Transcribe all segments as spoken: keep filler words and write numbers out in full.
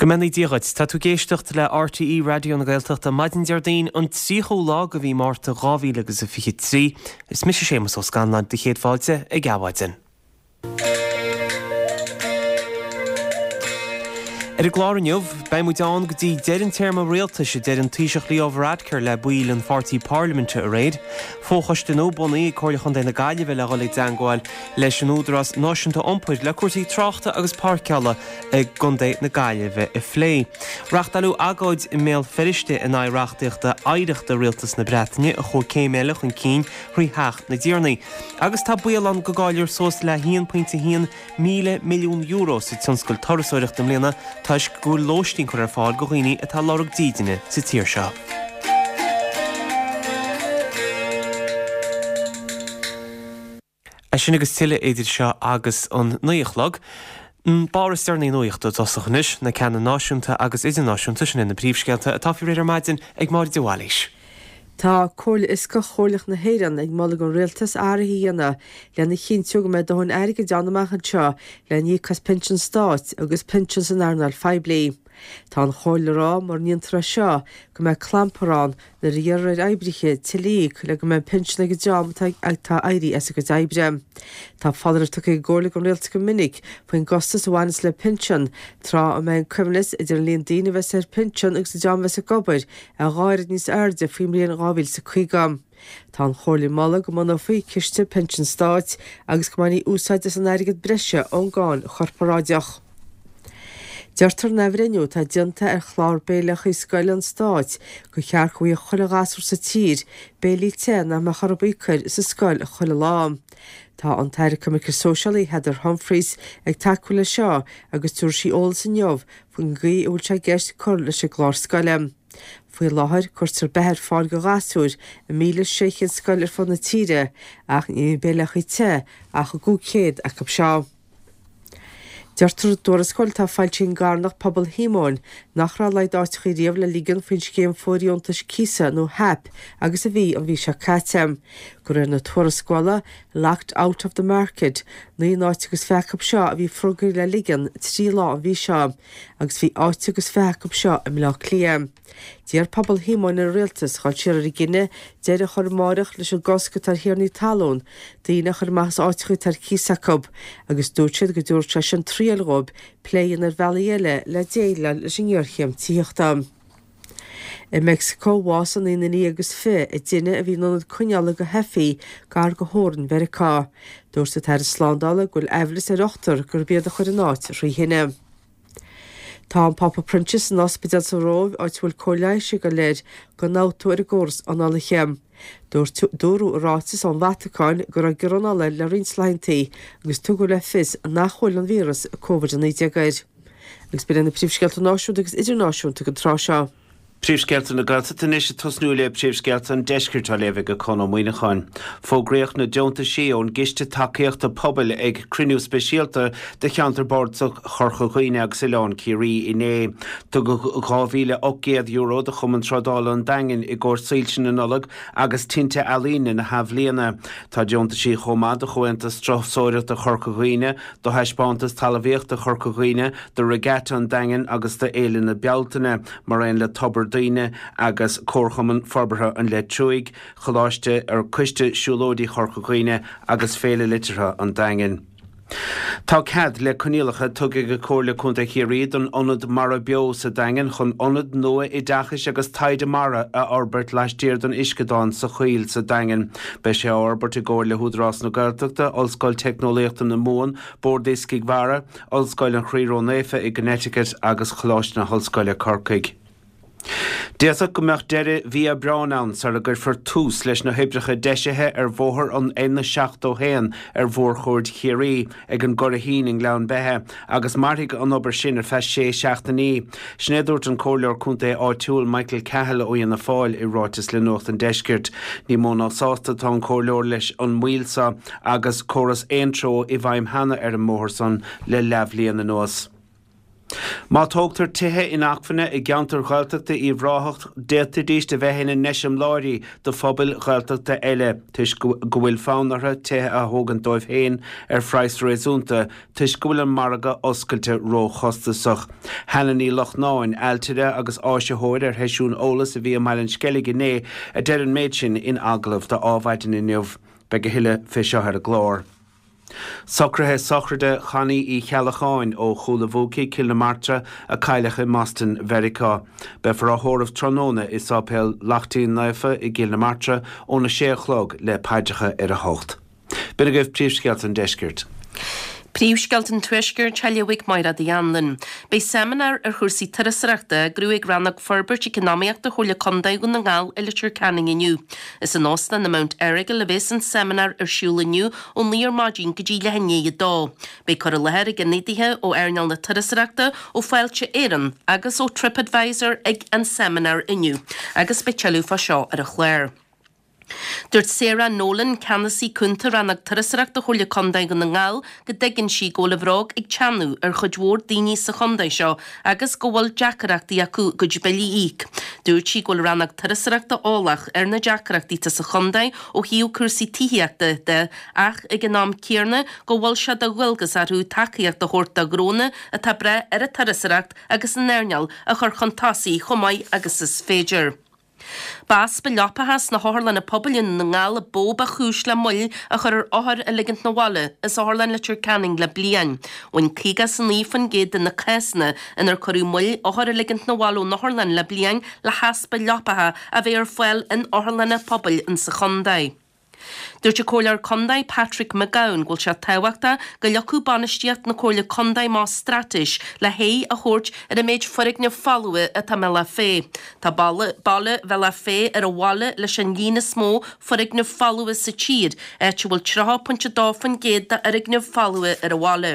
Go mbeannaí Dia dhuit. Tá tú ag éisteacht le RTÉ Raidió na Gaeltachta maidin Déardaoin an tríochú lá de mhí Márta dhá mhíle agus a fiche trí. Is mise Séamus Ó Scanláin do chéad fáilte ag Adhmhaidin. Ar an gclár inniu, beidh muid ann go dtí deireadh an téarma rialtais, a deir an Taoiseach Leo Varadkar le baill an pháirtí parlaiminte aréir. Fochoiste nua bunaithe ag Comhairle Chontae na Gaillimhe le dhul i dteangmháil leis an Údarás Náisiúnta Iompair le cúrsaí tráchta agus páirceála i gContae na Gaillimhe a phlé. Reachtáileadh agóid i mBéal Feirste in aghaidh reachtaíochta oidhreachta Rialtas na Breataine a chuaigh céim eile chun cinn thrí Theach na dTiarnaí. Agus tá baol ann go gcaillfear suas le haon pointe haon míle milliún euro sa tionscal turasóireachta i mbliana toisc go bhfuil lóistín curtha ar fáil do dhaoine atá ag lorg dídine sa tír seo. É sin agus tuilleadh idir seo agus an naoi a chlog. An barr is deireanaí nuachta i dtosach anois, na ceanna náisiúnta agus idirnáisiúnta, sin iad na príomhscéalta atá faoi réir ar maidin ag Máire de Bhailís. Tá Comhairle Fhioscach Chomhairleach na hÉireann ag moladh don Rialtas athruithe a dhéanamh lena chinntiú go mbeidh dóthain airgid ann amach anseo le n-íoc as pinsin stáit agus pinsin san earnáil phoiblí. Tá an Chomhairle ag rá mura ndéantar é seo go mbeidh clampar ann nuair a iarrfar ar oibrithe tuilleadh a íoc le go mbeidh pinsean ag an dream atá ag éirí as a gcuid oibre. Tá foláireamh tugtha ag an gComhairle don Rialtas go minic faoin gcostas a bhaineas le pinsean tráth a mbeidh an coibhneas idir an líon daoine a bheas ar pinsean agus an dream a bheas ag obair a dhá oiread níos airde faoin mbliain dhá mhíle is a caoga. Tá an Chomhairle ag moladh go mbunófaí Ciste Pinsean Stáit agus go mbainfí úsáid as an airgead breise ón gcáin chorparáideach. Deirtear in athbhreithniú atá déanta ar chlár béileachaí scoile an stáit gur cheart go bhfaigheadh chuile ghasúr sa tír béilí te nach mbeadh orthu íoc air sa scoil chuile lá. Tá an tAire Coimirce Sóisialaí Heather Humphreys ag tacú leis seo agus tabharfaidh sí eolas inniu faoin gcaoi a bhfuil sé i gceist cur leis an gclár scoile. Faoi láthair cuirtear beatha ar fáil do ghasúir i míle sé chéad scoil ar fud na tíre ach ní bhíonn béileachaí te ach i gcúig chéad acu seo. Deirtear i dtuarascáil atá foilsithe ag an gcarthanacht Pobal Shíomóin nach raibh a laghad áiteachaí riamh le ligean faoin scéim fóirdheontais cíosa nó HAP agus a bhí an mhí seo caite. De réir na tuarascála Locked Out of the Market, naoi n-áit agus fiche acu seo a bhí fógartha le ligean trí lá an mhí seo agus bhí áit agus fiche acu seo i mBleá Cliath. D'iarr Pobal Shíomóin ar an Rialtas dhul siar ar a gcinneadh deireadh a chur amáireach leis an gcosc atá ar thiarnaí talún daoine a chur amach as áiteacha atá ar cíos acu agus dúirt siad go dtabharfadh sé sin triail dhóibh plé a dhéanamh ar bhealaí eile le déileáil leis an ngéarchéim tithíochta. I Meicsiceo, bhásaigh naoi nduine dhéag agus fiche i dtine a bhí in ionad coinneála do theifigh gar do theorainn Mheiriceá. Dúirt an tAire Slándála go bhfuil aimhleas ar ochtar gurb iad a chuir an áit thrí thine. Tá an Pápa Proinsias san ospidéal sa Róimh áit a bhfuil cóir leighis ag dul air d'ionfhabhtú ar an gcóras análaithe. Dúirt dúradh i ráiteas ón Vatacáin go raibh giorra anála air le roinnt laethanta agus tugadh le fios nach bhfuil an víreas Covid a naoi déag air. Agus b'in iad na príomhscéalta náisiúnta agus idirnáisiúnta don tráth seo. Príomhscéalta na Gaeltachta anois ag tosnú le príomhscéalta an Deiscirt á léamh ag Conn Ó Muíneacháin. Fógraíodh na deontaisí ón gCiste Tacaíochta Pobail ag cruinniú speisialta de Cheantar Bardasach Chorca Dhuibhne agus Oileán Ciarraí inné. Tugadh dhá mhíle ocht gcéad euro do Chumann Trádála an Daingin i gcomhair soilse na Nollag agus tinte ealaíne na hathbhliana. Tá deontaisí chomh maith do Chomhaontas Turasóireachta Chorca Dhuibhne, do Thaispeántas Talmhaíochta Chorca Dhuibhne, do Regatta an Daingin agus do Fhéile na Bealtaine, mar aon le Tobar Daoine agus Comharchumann Forbartha an Leitriúigh, Choláiste ar Coiste Siúlóidí Chorca Dhuibhne agus Féile Liteartha an Daingin. Tá cead le coinníollacha tugtha ag Comhairle Contae Chiarraí don Ionad Mara Beo sa Daingean chun ionad nua oideachais agus taighde mara a fhorbairt laistiar den uisceadán sa Choill sa Daingean. Beidh sé á fhorbairt i gcomhar le hÚdarás na Gaeltachta, Ollscoil Teicneolaíochta na Mumhan, Bord Iascaigh Mhara, Ollscoil an Chroí Ró-Naofa i gConnecticut agus Choláiste na hOllscoile Corcaigh. D'fhéadfadh go mbeadh deireadh mhí Aibreáin ann sara gcuirfear tús leis na hoibreacha deisithe ar bhóthar an N seachtó haon ar Mhórchuaird Chiarraí ag an gCurraichín i nGleann Beithe agus mairfidh an obair sin ar feadh sé seachtainí. Sin é a dúirt an Comhairleoir Contae áitiúil Michael Cahill ó Fhianna Fáil i ráiteas le Nuacht an Deiscirt. Ní mó ná sásta atá an Comhairleoir leis an moill seo agus córas aontreo i bhfeidhm cheana ar an mbóthar san le leathbhliain anuas. Má tógtar tithe inacmhainne i gceantar Ghaeltachta Uíbh Ráthach d'fhéadfaidís a bheith ina n-eiseamláirí do phobail Ghaeltachta eile toisc go bhfuil fonn orthu tithe a thógaint dóibh féin ar phraghas réasúnta toisc go bhfuil an margadh oscailte róchostasach. Hannah Ní Lochnáin, ailtire agus áisitheoir ar sheisiún eolais a bhí i mBaile an Sceilg inné a deir an méid sin in agallamh do Adhmhaidin inniu. Beidh a thuilleadh fé seo ar an gclár. Socruithe sochraide Chonnie Uí Cheallacháin ó Chúil a' Bhuacaigh, Cill na Martra, a cailleadh i mBoston, Mheiriceá. Beifear á thórramh tráthnóna i Sáipéal Lachtaín Naofa i gCill na Martra óna sé a chlog le paidreacha ar a hocht. B'in agaibh príomhscéalta an deiscirt. Príomhscéalta an Tuaiscirt á léamh ag Máire Uí Anluain. Beidh seimineár ar chúrsaí turasóireachta á eagrú ag Rannóg Forbairt Eacnamaíochta Chomhairle Contae Dhún na nGall i Leitir Ceanainn inniu. Is in Óstán na Mount Errigal a bheas an seimineár ar siúl inniu ó naoi ar maidin go dtí leath i ndiaidh a dó. Beidh cur i láthair ag ionadaithe ó earnáil na turasóireachta, ó Fáilte Éireann agus ó TripAdvisor ag an seimineár inniu agus beidh tuilleadh fá seo ar an chlár. Dúirt Sarah Nolan, ceannasaí cúnta Rannóg Turasóireachta Chomhairle Contae Dhún na nGall, go dtuigeann sí go bhfuil an bhróg ag teannadh ar chuid mhór daoine sa chontae seo agus go bhfuil deacrachtaí acu a gcuid billí a íoc. Dúirt sí go bhfuil Rannóg Turasóireachta eolach ar na deacrachtaí atá sa chontae ó thaobh cúrsaí tithíochta de ach ag an am céanna go bhfuil sé de dhualgas orthu tacaíocht a thabhairt do ghnónna atá ag brath ar an turasóireacht agus an earnáil a chur chun tosaigh chomh maith agus is féidir. B'easpa leapacha sna hotharlanna pobail i nDún na nGall ba mhó ba chúis le moill a chur ar othair a ligint 'na bhaile as Otharlann Leitir Ceanainn le bliain. Bhain caoga is a naoi faoin gcéad de na cásanna inar cuireadh moill othair a ligint 'na bhaile ón otharlann le bliain le heaspa leapacha a bheith ar fáil in otharlanna pobail insa chontae. Dúirt an Comhairleoir Contae Patrick McGowan go bhfuil sé tábhachtach go leagfadh bainistíocht na Comhairle Contae amach straitéis le haghaidh a thabhairt ar an méid foirgneamh folmha atá i mBealach Féich. Tá baile Bhealach Féich ar an bhaile leis an líon is mó foirgneamh folmha sa tír, áit a bhfuil tríocha pointe dó faoin gcéad d'fhoirgnimh folmha ar an bhaile.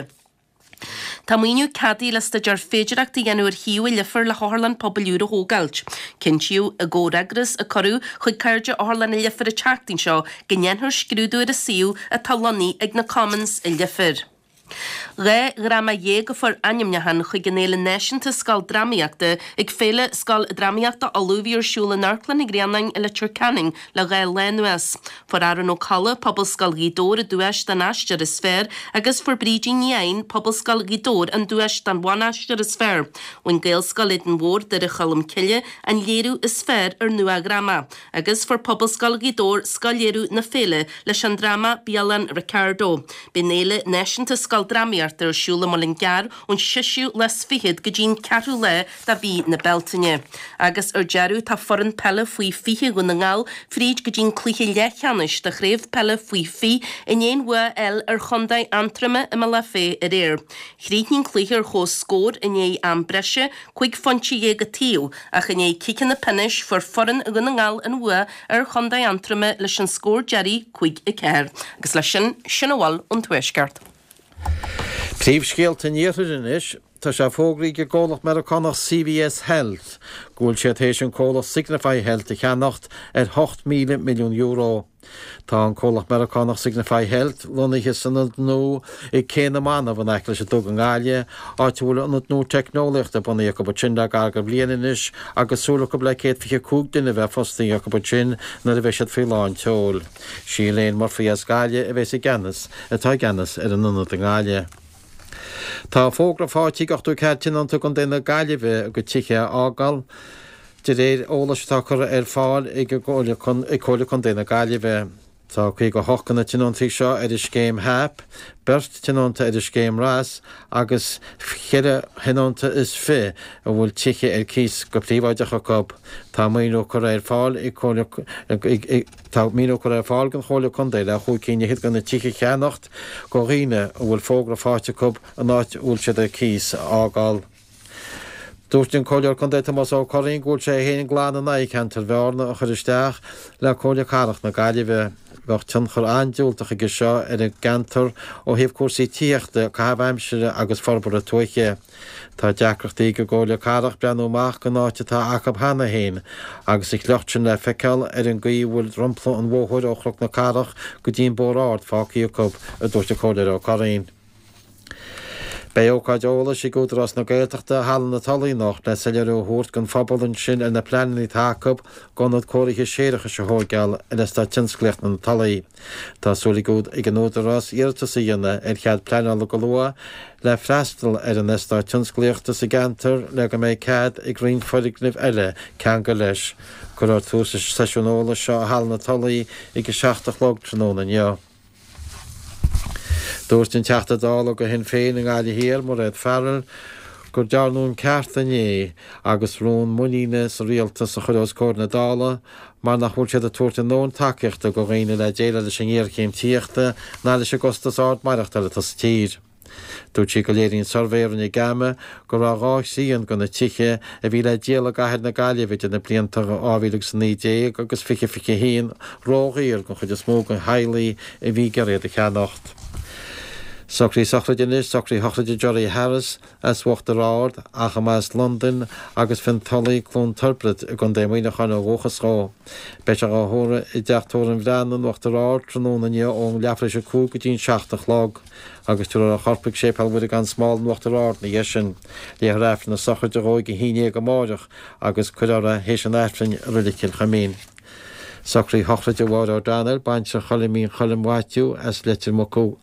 Tá maoiniú ceadaithe le staidéar féidearthachta a dhéanamh ar shuíomh i Leifear le hotharlann pobail úr a thógáilt. Cinntíodh i gcomhfhreagras a cuireadh chuig Cairde Otharlann an Leifir an tseachtain seo go ndéanfar scrúdú ar an suíomh atá lonnaithe ag na Commons i Leifear. Dhá dhráma dhéag a fuair ainmniúchán chuig an Fhéile Náisiúnta Scoildrámaíochta ag Féile Scoildrámaíochta Uladh a bhí ar siúl in Amharclann an Ghrianáin i Leitir Ceanainn le dhá lá anuas. Fuair Aaron Ó Colla, Pobalscoil Ghaoth Dobhair, an duais don aisteoir is fearr agus fuair Brídín Ní Eidhin, Pobalscoil Ghaoth Dobhair, an duais don bhanaisteoir is fearr. Bhain Gaelscoil Éadain Mhóir, Doire Cholm Cille, an léiriú is fearr ar nua-dhráma agus fuair Pobalscoil Ghaoth Dobhair scothléiriú na féile leis an dráma Bialann Ricardo. Beidh an Fhéile Náisiúnta Scoildrámaíochta ar siúl i Muileann gCearr ón seisiú lá is fichead go dtí an ceathrú lá de mhí na Bealtaine. Agus ar deireadh tá foireann peile faoi fiche Dhún na nGall fríd go dtí an cluiche leathcheannais de chraobh peile faoi fiche i ndiaidh an bhua a fháil ar chontae Aontroma i mBealach Féich aréir. Chríochnaigh an cluiche ar chomhscór i ndiaidh am breise, cúig phointe dhéag an taobh, ach i ndiaidh ciceanna pionóis fuair foireann Dhún na nGall an bhua ar chontae Aontroma leis an scór deiridh cúig a ceathair. Agus leis sin, sin a bhfuil ón Tuaisceart. Príomhscéalta an Iarthair anois. Tá sé fógraithe ag an gcomhlacht Meiriceánach CVS Health go bhfuil siad théis an comhlacht Signify Health a cheannacht ar hocht míle milliún euro. Tá an comhlacht Meiriceánach Signify Health lonnaithe san ionad nua i gCé na Manach in aice leis an Duga i nGaillimh, áit a bhfuil ionad nua teicneolaíochta bunaithe acu ansin le gar do bhliain anois agus súil acu le céad fiche cúig duine a bheith fostaithe acu ansin nuair a bheidh siad faoi lán tseoil. Sí Elaine Murphy as Gaillimh a bheas i gceannas atá i gceannas ar an ionad i nGaillimh. Tá fógra faighte ag ochtó ceathair tionónta i gContae na Gaillimhe a gcuid tithe a fhágáil, de réir eolais atá curtha ar fáil ag Comhairle Contae na Gaillimhe. Tá caoga a hocht de na tionóntaí seo ar an scéim HAP, beirt tionónta ar an scéim RAS agus ceithre thionónta is fiche a bhfuil tithe ar cíos go príobháideach acu. Tá maoiniú curtha ar fáil ag Comhairle Tá maoiniú curtha ar fáil ag an Chomhairle Contae le chúig cinn fhichead de na tithe a cheannacht do dhaoine a bhfuil fógra faighte acu an áit a bhfuil siad ar cíos a fhágáil. Dúirt an Comhairleoir Contae Tomás Ó Curraoin go bhfuil sé féin glan in aghaidh ceantar Bhearna a chur isteach le Comhairle Cathrach na Gaillimhe. Bheadh tionchar an-diúltach aige seo ar an gceantar ó thaobh cúrsaí tithíochta, caitheamh aimsire agus forbartha tuaithe. Tá deacrachtaí ag an gComhairle Cathrach breathnú amach den áit atá acu cheana féin agus a shliocht sin le feiceáil ar an gcaoi a bhfuil dromchla an bhóthair ó Chnoc na Cathrach go dtí an Bóthar Ard fágtha acu, a dúirt an Comhairleoir Ó Curraoin. Beidh ócáid eolais ag Údarás na Gaeltachta i Halla na Tulaí anocht le soiléiriú a thabhairt don phobal ansin ar na pleananna atá acu d'ionad cóirithe séarachais a thóigeáil ar Eastát Tionsclaíochta na Tulaí. Tá súil ag an Údarás iarratas a dhéanamh ar chead pleanála go luath le freastal ar an eastát tionsclaíochta sa gceantar le go mbeidh cead ag roinnt foirgnimh eile ceangal leis. Cuirfear tús leis an seisiún eolais seo i Halla na Tulaí ag a seacht a chlog tráthnóna inniu. Dúirt an Teachta Dála do Shinn Féin i nGaillimh Thiar, Mairéad Farrell, gur dearnadh an ceart inné agus rún muiníne sa rialtas a chur os comhair na Dála mar nach bhfuil siad ag tabhairt a ndóthain tacaíochta do dhaoine le déileáil leis an ngéarchéim tithíochta ná leis an gcostas ard maireachtála atá sa tír. Dúirt sí go léiríonn suirbhé a rinne GAMA go raibh dhá thrian de na tithe a bhí le díol i gcathair na Gaillimhe idir na blianta dhá mhíle agus a naoi déag agus fiche fiche a haon ródhaor don chuid is mó de theaghlaigh a bhí ag iarraidh iad a cheannacht. Socruithe sochraide anois, socruithe sochraide Gerry Harris as Uachtar Ard ach a mba as Londain agus Fionn Tulaigh, Cluain Tiobraid i gContae Mhuineacháin ó dhúchas dhó. Beidh sé dhá thórramh i dTeach Tórraimh an Bhreathnaigh in Uachtar Ard tráthnóna inniu ón leathuair tar éis a cúig go dtí an seacht a chlog agus tabharfar a chorp chuig Séipéal Mhuire gan Smál in Uachtar Ard ina dhiaidh sin. Léifear Aifreann na sochraide dhó ag a haon déag amáireach agus cuirfear é théis an Aifrinn i Reilig Chill Chuimín. Socruithe sochraide Mháire O'Donnell, baintreach Choilimín Choilm Mhaitiú as Leitir Mucú.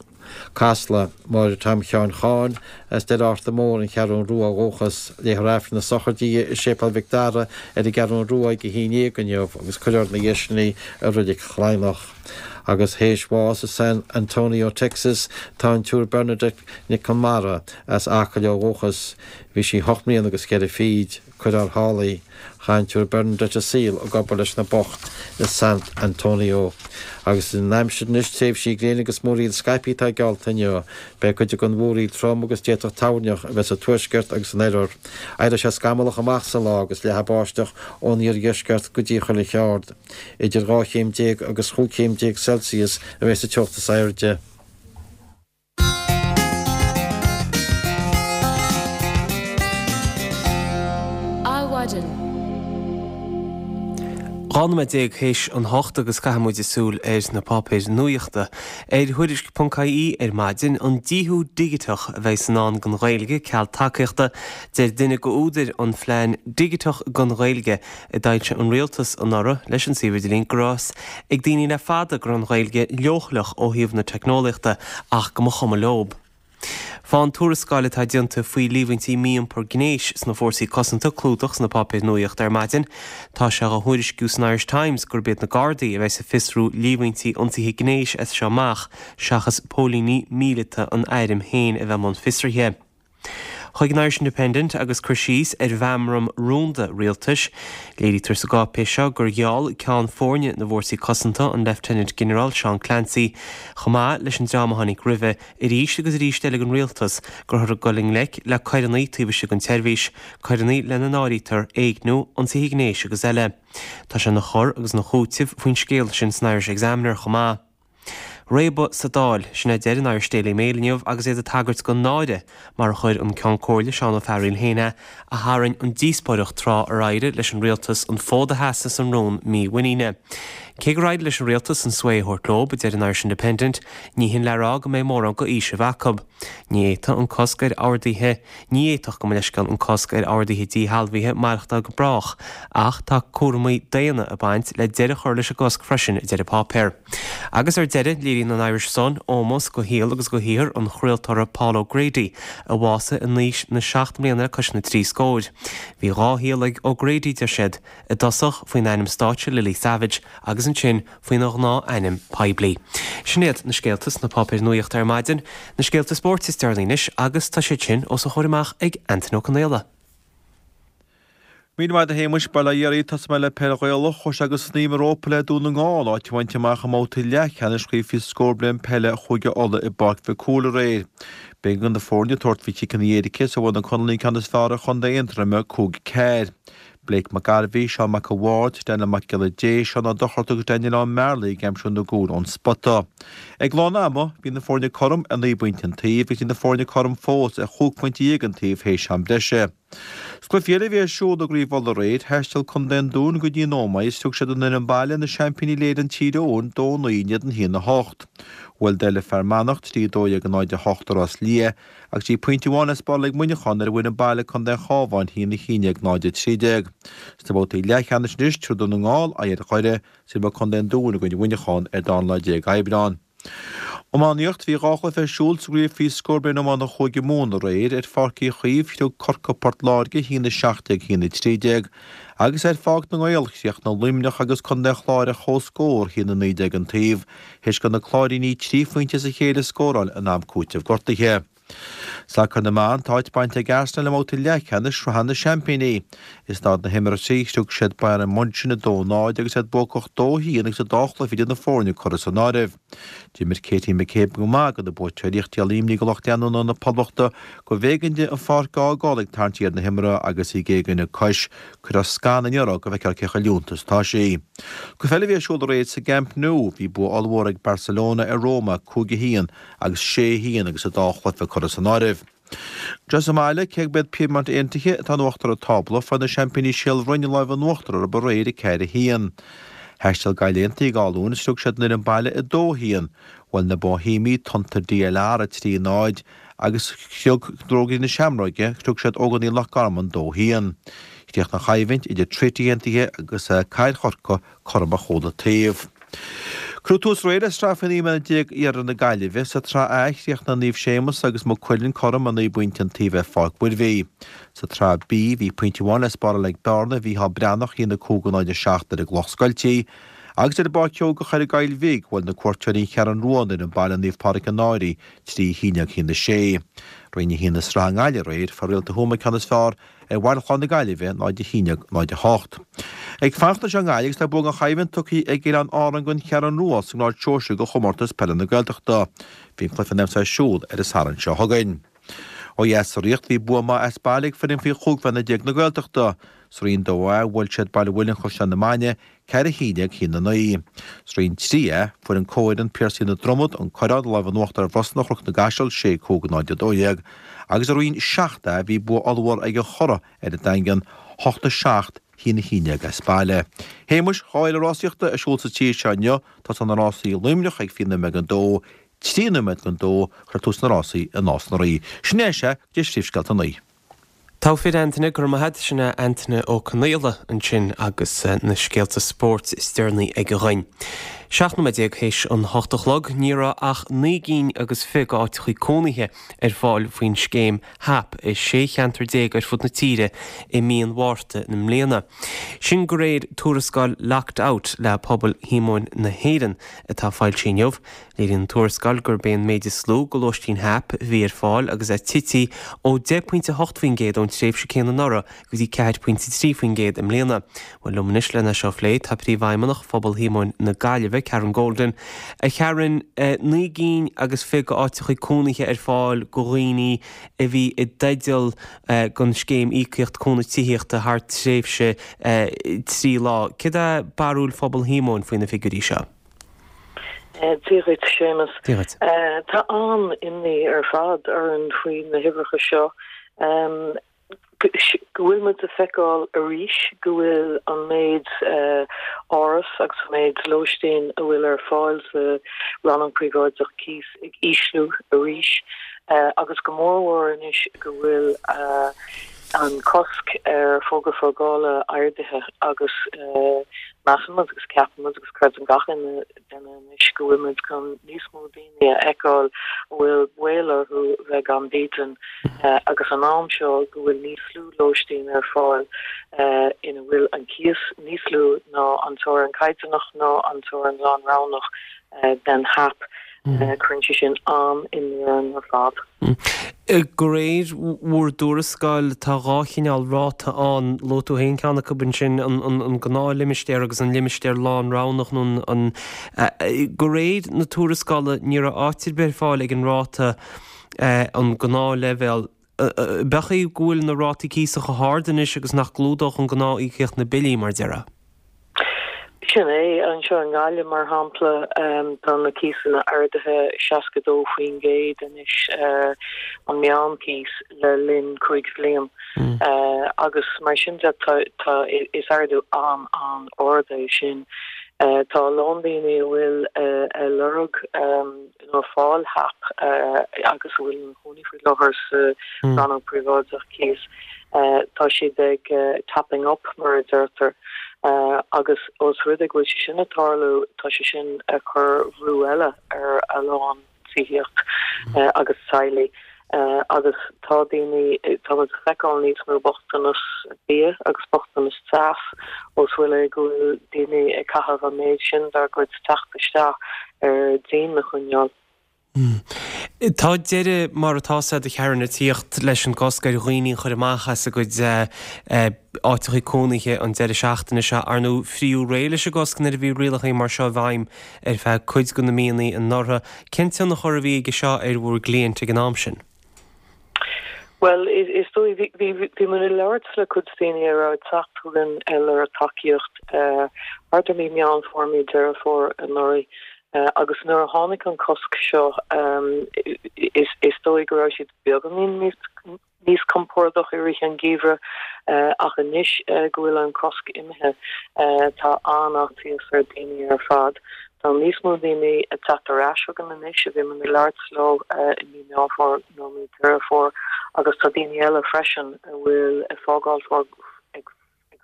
Casla, Máire Tom Sheáin Cháin, as Doire Fhearta Mór, An Cheathrú Rua ó dhúchas. Léifear Aifreann na sochraide di i Séipéal Mhic Dara ar an gCeathrú Rua ag a haon déag inniu agus cuirfear ina dhiaidh sin í i Reilig Chladhnach. Agus théis bháis i San Antonio, Texas, tá an tSiúr Bernadette Nic Conmara, as Acaill ó dhúchas. Bhí sí hocht mbliana agus ceithre fichid. Cuirfear thall í. Chaith an tSiúr Bernadette a saol ag obair leis na boicht i San Antonio. Agus an aimsir anois, tréimhsí gréine agus múraíl scaipthe atá geallta inniu. Beidh cuid den mhúraíl trom agus d'fhéadfadh toirneach a bheith sa tuaisceart agus san oirthear. Éireoidh sé scamallach amach sa lá agus leathfaidh báisteach ón iardheisceart go dtí chuile cheard. Idir dhá chéim déag agus chúig chéim déag Celsius a bheidh sa teocht is airde. Adhmhaidin. Dhá nóiméad déag théis an hocht agus caithfidh muid súil ar na páipéir nuachta. Ar Thuairisc ponc ie ar maidin, an díothú digiteach a bheidh i ndán don Ghaeilge ceal tacaíochta, deir duine d'údair an phlean Digiteach don Ghaeilge a d'fhoilsigh an rialtas anuraidh leis an suíomh idirlín go raibh a fhios ag daoine le fada go raibh an Ghaeilge leochaileach ó thaobh na teicneolaíochta ach go mba chuma leob. Fán tuarascáil atá déanta faoi líomhaintí mí-iompar gnéis sna fórsaí cosanta clúdach sna páipéir nuachta ar maidin, tá sé á thuairisciú san Irish Times gurb iad na Gardaí a bheas ag fiosrú líomhaintí ionsaithe gnéis as seo amach seachas póilíní míleata an airm féin a bheith i mbun fiosraithe. Chuig an Irish Independent agus cur síos ar mheamram rúnda rialtais. Léirítear sa gcáipéis seo gur gheall Ceann Foirne na bhFórsaí Cosanta, an Leifteanant-Ghinearál Seán Clancy, chomh maith leis an dream a tháinig roimhe, arís agus arís eile don rialtas go rabhthar ag dul i ngleic le coireanna taobh istigh den tseirbhís, coireanna lena n-áirítear éigniú, ionsaithe gnéis agus eile. Tá sé ina chur agus ina chúiteamh faoin scéal sin san Irish Examiner chomh maith. Réabadh sa Dáil, sin a deir an Irish Daily Mail inniu agus iad ag tagairt don náire, mar a chuir an Ceann Comhairle Seán Ó Fearghaíl féin é, a tharraing an díospóireacht tráth ar éirigh leis an rialtas an fód a sheasamh san rún mímhuiníne. Cé gur éirigh leis an rialtas an svae a thabhairt leo, a deir an Irish Independent, ní hin le rá go mbeidh mórán de fhaoiseamh acu. Ní fhéadfadh an cosc ar orduithe Ní fhéadfadh, gabh mo leithscéal, an cosc ar orduithe díshealbhaithe maireachtáil go brách, ach tá cúraimí daonna ag baint le deireadh a chur leis an gcosc freisin, a deir an páipéar. Agus ar deireadh, léiríonn an Irish Sun ómós do shaol agus do shaothar an chraoltóra Paul O'Grady, a bhásaigh in aois na seacht mbliana le cois na trí scóir. Bhí dhá shaol ag O'Grady, deir siad, i dtosach faoin ainm stáitse Lily Savage agus ansin faoina ghnáth-ainm poiblí. Sin iad na scéalta sna páipéir nuachta ar maidin, na scéalta spóirt is deireanaí anois agus tá siad sin os a chomhair amach ag Antain Ó Conaola. Míle maith agat a Shéamuis, bail ó Dhia oraibh, tosóidh mé le peil Ghaelach, chuaigh sé go snoí rópa le Dún na nGall áit a bhaint amach i mbabhta leathcheannais Chraobh Faoi Scór Bliain Peile Chúige Uladh i bPáirc Mhic Cumhaill aréir. B'éigean do na foirne tabhairt faoi chiceanna éirice is bhuaigh na Conallaigh an ceann is fearr ar Chontae Aontroime, cúig ceathair. Blake McGarvey, Seán Mac a' Bhaird, Daniel Mac Giolla Dé, Seán Ó Dochartaigh agus Daniel Ó Mearlaigh ag aimsiú na gcúl ón spota. Ag lán ama, bhí na foirne cothrom ar naoi bpointe an taobh agus bhí na foirne cothrom fós ar chúig phointe dhéag an taobh théis am breise. Sa gcluiche eile a bhí ar siúl i gCraobh Uladh aréir, thaisteal Contae an Dúin go dtí an Ómaigh is thug siad an fhoireann baile na seaimpíní Léire an Tír Eoghain dó naoi in éadan a haon a hocht. Bhuail Doire Fear Manach trí a dó dhéag a náid a hocht i Ros Liath agus bhí pointe amháin le spáráil ag Muineachán nuair a bhain an baile Contae an Chabháin a haon a haon déag náid a trí déag. Sna babhtaí leathcheannais anois, tabharfaidh Dún na nGall aghaidh ar Dhoire, is imreoidh Contae an Dúin i gcoinne Mhuineacháin ar an dara lá déag Aibreán. Iománaíocht, Bhí dhá chluiche ar siúl sa gcraobh faoi scór bliain iomána Chúige Mumhan aréir. Ar Pháirc Uí Chaoimh, chriog Corcaigh Port Láirge a haon a seacht déag a haon a trí déag agus ar Pháirc na nGael, chríochnaigh Luimneach agus Contae an Chláir ar comhscór, a haon a naoi déag an taobh, théis do na Cláirínigh trí phointe as a chéile a scóráil in am cúitimh gortaithe. Sacar na mBan, Tá áit bainte ag Arsenal i mbabhta leathcheannais Shraith na Seaimpíní. I staid na himeartha, chriog siad Bayern München a dó náid agus iad buacach dó haon agus an dá chluiche idir na foirne curtha san áireamh. D'imir Katie McCabe go maith do na buaiteoirí ach díol imní do lucht leanúna na Poblachta gurbh éigean di an pháirc a fhágáil ag tarraingt thiar na himeartha agus í ag éagaoineadh cois. Cuirfear scan inniu uirthi go bhfeicfear cé chomh leonta is atá sí. Cluiche eile a bhí ar siúl aréir sa gCamp Nou, bhí bua ollmhór ag Barcelona ar Roma, cúig a haon agus sé a haon agus an dá chluiche curtha san áireamh. Anseo sa mbaile, cé gurb iad Piedmont Aontaithe atá in uachtar an tábla, fuair na seaimpíní Síol Bhroin an lámh in uachtar orthu aréir a ceathair a haon. Thaistil Gaillimh Aontaithe go Áth Luain is chriog siad an fhoireann baile a dó a haon. Bhuail na Boihéamaigh Tonnta DLR a trí náid agus chriog Ruagairí na Seamróige, chriog siad Ógánaigh Loch Garman dó a haon. Chríochnaigh an choimhlint idir Trinity Aontaithe agus Cathair Chorcaí cothrom ar chúl an taobh. Cuireadh tús aréir le Sraith faoi naoi mbliana déag Iarthar na Gaillimhe. Sa tSraith A, chríochnaigh Naomh Séamus agus Maigh Cuilinn cothrom ar naoi bpointe an taobh ar Pháirc Mhuirbhigh. Sa tSraith B, bhí pointe amháin le spáráil ag Bearna, Mhícheál Breathnach, a haon a cúig a náid a seacht ar an gCloch Scoiltí. Agus ar an bPáirc Sheoigeach ar an gCoill Bhig, bhuail na cuairteoirí An Cheathrú Rua an fhoireann baile Naomh Pádraig an Fhairche trí a haon déag a haon a sé. Roinn a haon i Sraith na nGaillimhe aréir, fuair Réalta Thuama ceann is fearr ar Bhaile Chláir na Gaillimhe, náid a haon déag, náid a hocht. Ag fanacht anseo i nGaillimh agus tá bua gan choimhlint tugtha ag Oileáin Árann don Cheathrú Rua sa ngrád sóisir de chomórtas peile na Gaeltachta. Bhí an cluiche in ainm is a bheith ar siúl ar an Satharn seo chugainn. Ó dheas sa Ríocht bhí bua maith as baile ag foireann faoi chúig bhliana déag na Gaeltachta. Sa Roinn dó A bhuail siad Baile Mhuilinn Chaisleán na Mainge ceathair a haon déag a haon a naoi. Sa Roinn trí A fuair an comhfhoireann Piarsaigh na Dromad an Coireán an lámh in uachtar ar Bhrosna Chnoc na gCaiseal sé cúig náid a dó dhéag agus i Roinn seacht A bhí bua ollmhór ag an Chorra ar an Daingean hocht a seacht a haon a haon déag as baile. Shéamuis, dhá fhéile rásaíochta ar siúl sa tír seo inniu, tosaíonn na rásaí i Luimneach ag fiche nóiméad don dó, trí nóiméad don dó, cuirfear tús na rásaí i Nás na Rí. Sin é sea, go dtí Príomhscéalta a naoi. Togha fir Antaine, go raibh maith agat. Sin é Antaine Ó Conaola ansin agus na scéalta spóirt is deireanaí aige dhuinn. Seacht nóiméad déag théis an hocht a chlog, ní raibh ach naoi gcinn agus fiche d'áiteachaí cónaithe ar fáil faoin scéim HAP i sé cheantar déag ar fud na tíre i mí an Mhárta na mbliana. Sin de réir tuarascáil Locked Out le Pobal Shíomóin na hÉireann atá foilsithe inniu. Léiríonn an tuarascáil gurb é an méid is lú de lóistín HAP a bhí ar fáil agus é tite ó deich pointe a hocht faoin gcéad ón tréimhse céanna anuraidh go dtí ceathair pointe trí faoin gcéad i mbliana. Bhuel, liom anois lena seo a phlé tá Príomhfheidhmeannach Phobal Shíomóin na Gaillimhe, Karen Golden. A Karen, naoi gcinn agus fiche d'áiteachaí cónaithe ar fáil do dhaoine a bhí i dteideal don scéim íocaíocht cúnamh tithíochta thar tréimhse trí lá. Céard é barúil Phobal Shíomóin faoi na figiúirí seo? Dia dhuit, Séamus. Dia dhuit. Tá an-imní ar fad orainn faoi na huimhreacha seo. Go bhfuil muid ag feiceáil arís go bhfuil an méid áras agus an méid lóistín a bhfuil ar fáil sa rannán príobháideach cíos ag ísliú arís agus go mórmhór anois go bhfuil an cosc ar fógra fágála ardaithe agus measann muid agus ceapann muid agus creideann gach duine anois go bhfuil muid chun níos mó daoine a fheiceáil a bhfuil baol orthu bheith gan dídean agus an am seo go bhfuil níos lú lóistín ar fáil ina bhfuil an cíos níos lú ná an teorainn caighdeánach ná an teorainn lánroghnach den HAP. Cuireann sé sin an-imní orainn ar fad. De réir bhur dtuarascáil, tá dhá chineál ráta ann. Luaigh tú féin ceann acu ansin, an gnáthlimistéar agus an limistéar lánroghnach nó an. De réir na tuarascála, ní raibh áit ar bith ar fáil ag an ráta, an gnáthleibhéal. B'fhéidir go bhfuil na rátaí cíosa chomh hard anois agus nach gclúdódh an gnáth-íocaíocht na billí, mar déarfá? Sin é, anseo i nGaillimh, mar shampla, tá na cíosanna ardaithe seasca dó faoin gcéad anois, an meánchíos, le linn cúig bhliain. Agus mar sin de, tá, tá, is ardú an-an-ard é sin. Tá a lán daoine a bhfuil ag lorg nó ag fáil HAP agus a bhfuil ina gcónaí faoi láthair sa rannóg príobháideach cíos, tá siad ag topping up mar a deirtear agus os rud é go bhfuil sé sin ag tarlú, tá sé sin ag cur bhrú eile ar a lán tithíocht agus teaghlaigh agus tá daoine, tá muid ag feiceáil níos mó bochtanas bia agus bochtanas teas os rud é go bhfuil daoine ag caitheamh an méid sin dár gcuid teacht isteach ar díon a choinneáil. Tá deireadh mar atá sé a Karen ag tíocht leis an gcosc ar dhaoine a chur amach as a gcuid áiteacha cónaithe an deireadh seachtaine seo. Ar ndóigh frítheadh réidh leis an gcosc nuair a bhí rialacha mar seo i bhfeidhm ar feadh cuid de na míonna anuraidh. Cén tionchar a bhí aige seo ar bhur gcliaint ag an am sin? Bhuel, is dóigh, bhí bhí muid ag labhairt le cuid daoine a raibh ag teacht chugainn ag lorg tacaíocht thart ar mí Meán Fómhair, mí Deireadh Fómhair anuraidh. Agus nuair a tháinig an cosc seo, is dóigh go raibh siad beagáinín níos compordach i rith an gheimhridh, ach anois go bhfuil an cosc imithe, tá an-fhaitíos ar daoine ar fad. Tá níos mó daoine ag teacht ar ais chugainn anois a bhí muid ag labhairt leo i mí Meán Fómhair nó mí Deireadh Fómhair agus tá daoine eile freisin a bhfuil ag fágáil ag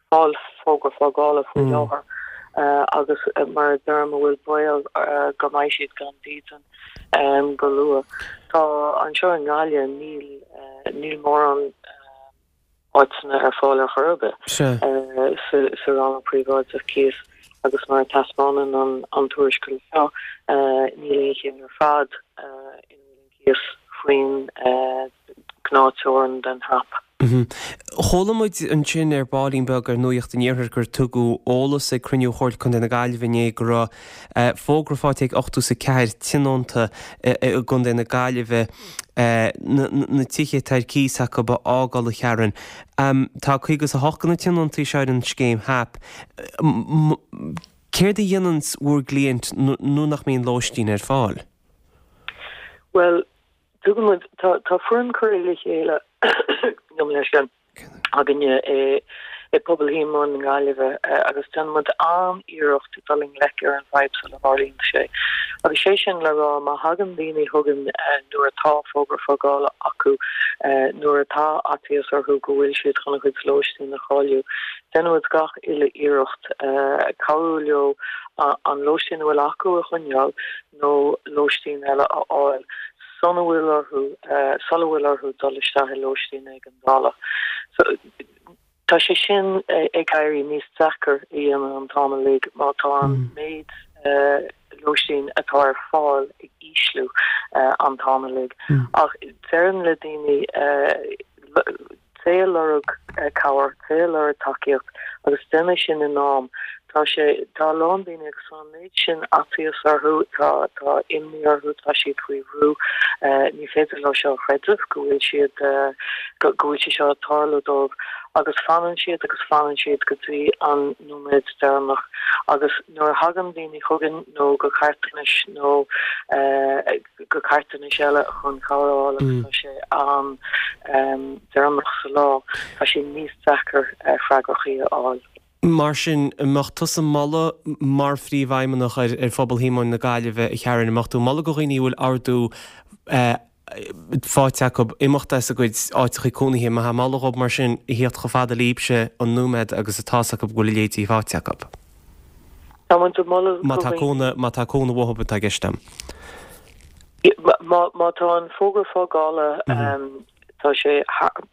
fáil fógra fágála faoi láthair agus mar a deirim a bhfuil baol go mbeidh siad gan dídean go luath. Tá anseo i nGaillimh níl níl mórán áiteanna ar fáil ar chor ar bith sa rannóg príobháideach cíos agus mar a taispeánann an tuarascáil seo níl aon cheann ar fad ina bhfuil an cíos faoin gnáth-teorainn den HAP. Chuala muid ansin ar baillín beag ar Nuacht an Iarthair gur tugadh eolas ag cruinniú Chomhairle Contae na Gaillimhe inné go raibh fógra faighte ag ochtó is a ceathair tionónta i gContae na Gaillimhe na tithe atá ar cíos acu a fhágáil a Karen. Tá caoga is a hocht de na tionóntaí seo ar an scéim HAP. Céard a dhéanann bhur gcliaint nuair nach mbíonn lóistín ar fáil? Bhuel, Tugann muid, tá tá foireann curtha le chéile gabh mo leithscéal againne i i bPobal Shíomóin na Gaillimhe agus déanann muid an-iarracht dul i ngleic ar an bhfadhb sula dtarlaíonn sé. Agus sé sin le rá má thagann daoine chugainn nuair atá fógra fágála acu, nuair atá faitíos orthu go bhfuil siad chun a gcuid lóistín a chailleadh, déanann muid gach uile iarracht cabhrú leo an lóistín a bhfuil acu a choinneáil nó lóistín eile a fháil. sula bhfuil orthu sula bhfuil orthu dul isteach i lóistín éigeandála. So tá sé sin ag éirí níos deacair a dhéanamh an t-am uilig má tá an méid lóistín atá ar fáil ag ísliú an t-am uilig. Ach deirim le daoine Téigh ag lorg cabhair, téigh ag lorg tacaíocht agus déan é sin in am. Tá sé, tá a lán daoine agus tá an méid sin faitíos orthu, tá, tá imní orthu, tá siad faoi bhrú, ní féidir leo seo a chreideamh, go bhfuil siad, go bhfuil sé seo ag tarlú dóibh agus fanann siad agus fanann siad go dtí an nóiméad deireanach agus nuair a thagann daoine chugainn nó go carthanais nó go carthanais eile chun cabhair a fháil agus tá sé an-deireanach sa lá, tá sé níos deacair freagrachaí a fháil. Mar sin, an mbeadh tusa ag moladh mar Phríomhfheidhmeannach ar Phobal Shíomóin na Gaillimhe, a Karen, an mbeadh tú ag moladh do dhaoine a bhfuil ordú faighte acu imeacht as a gcuid áiteacha cónaithe, an mbeifeá ag moladh dhóibh mar sin a thíocht chomh fada libhse an nóiméad agus atá's acu go bhfuil a leithéidí faighte acu? Tá muid ag moladh Má tá cónaí, má tá cónaí uathu atá i gceist agam. Má, má tá an fógra fágála, tá sé,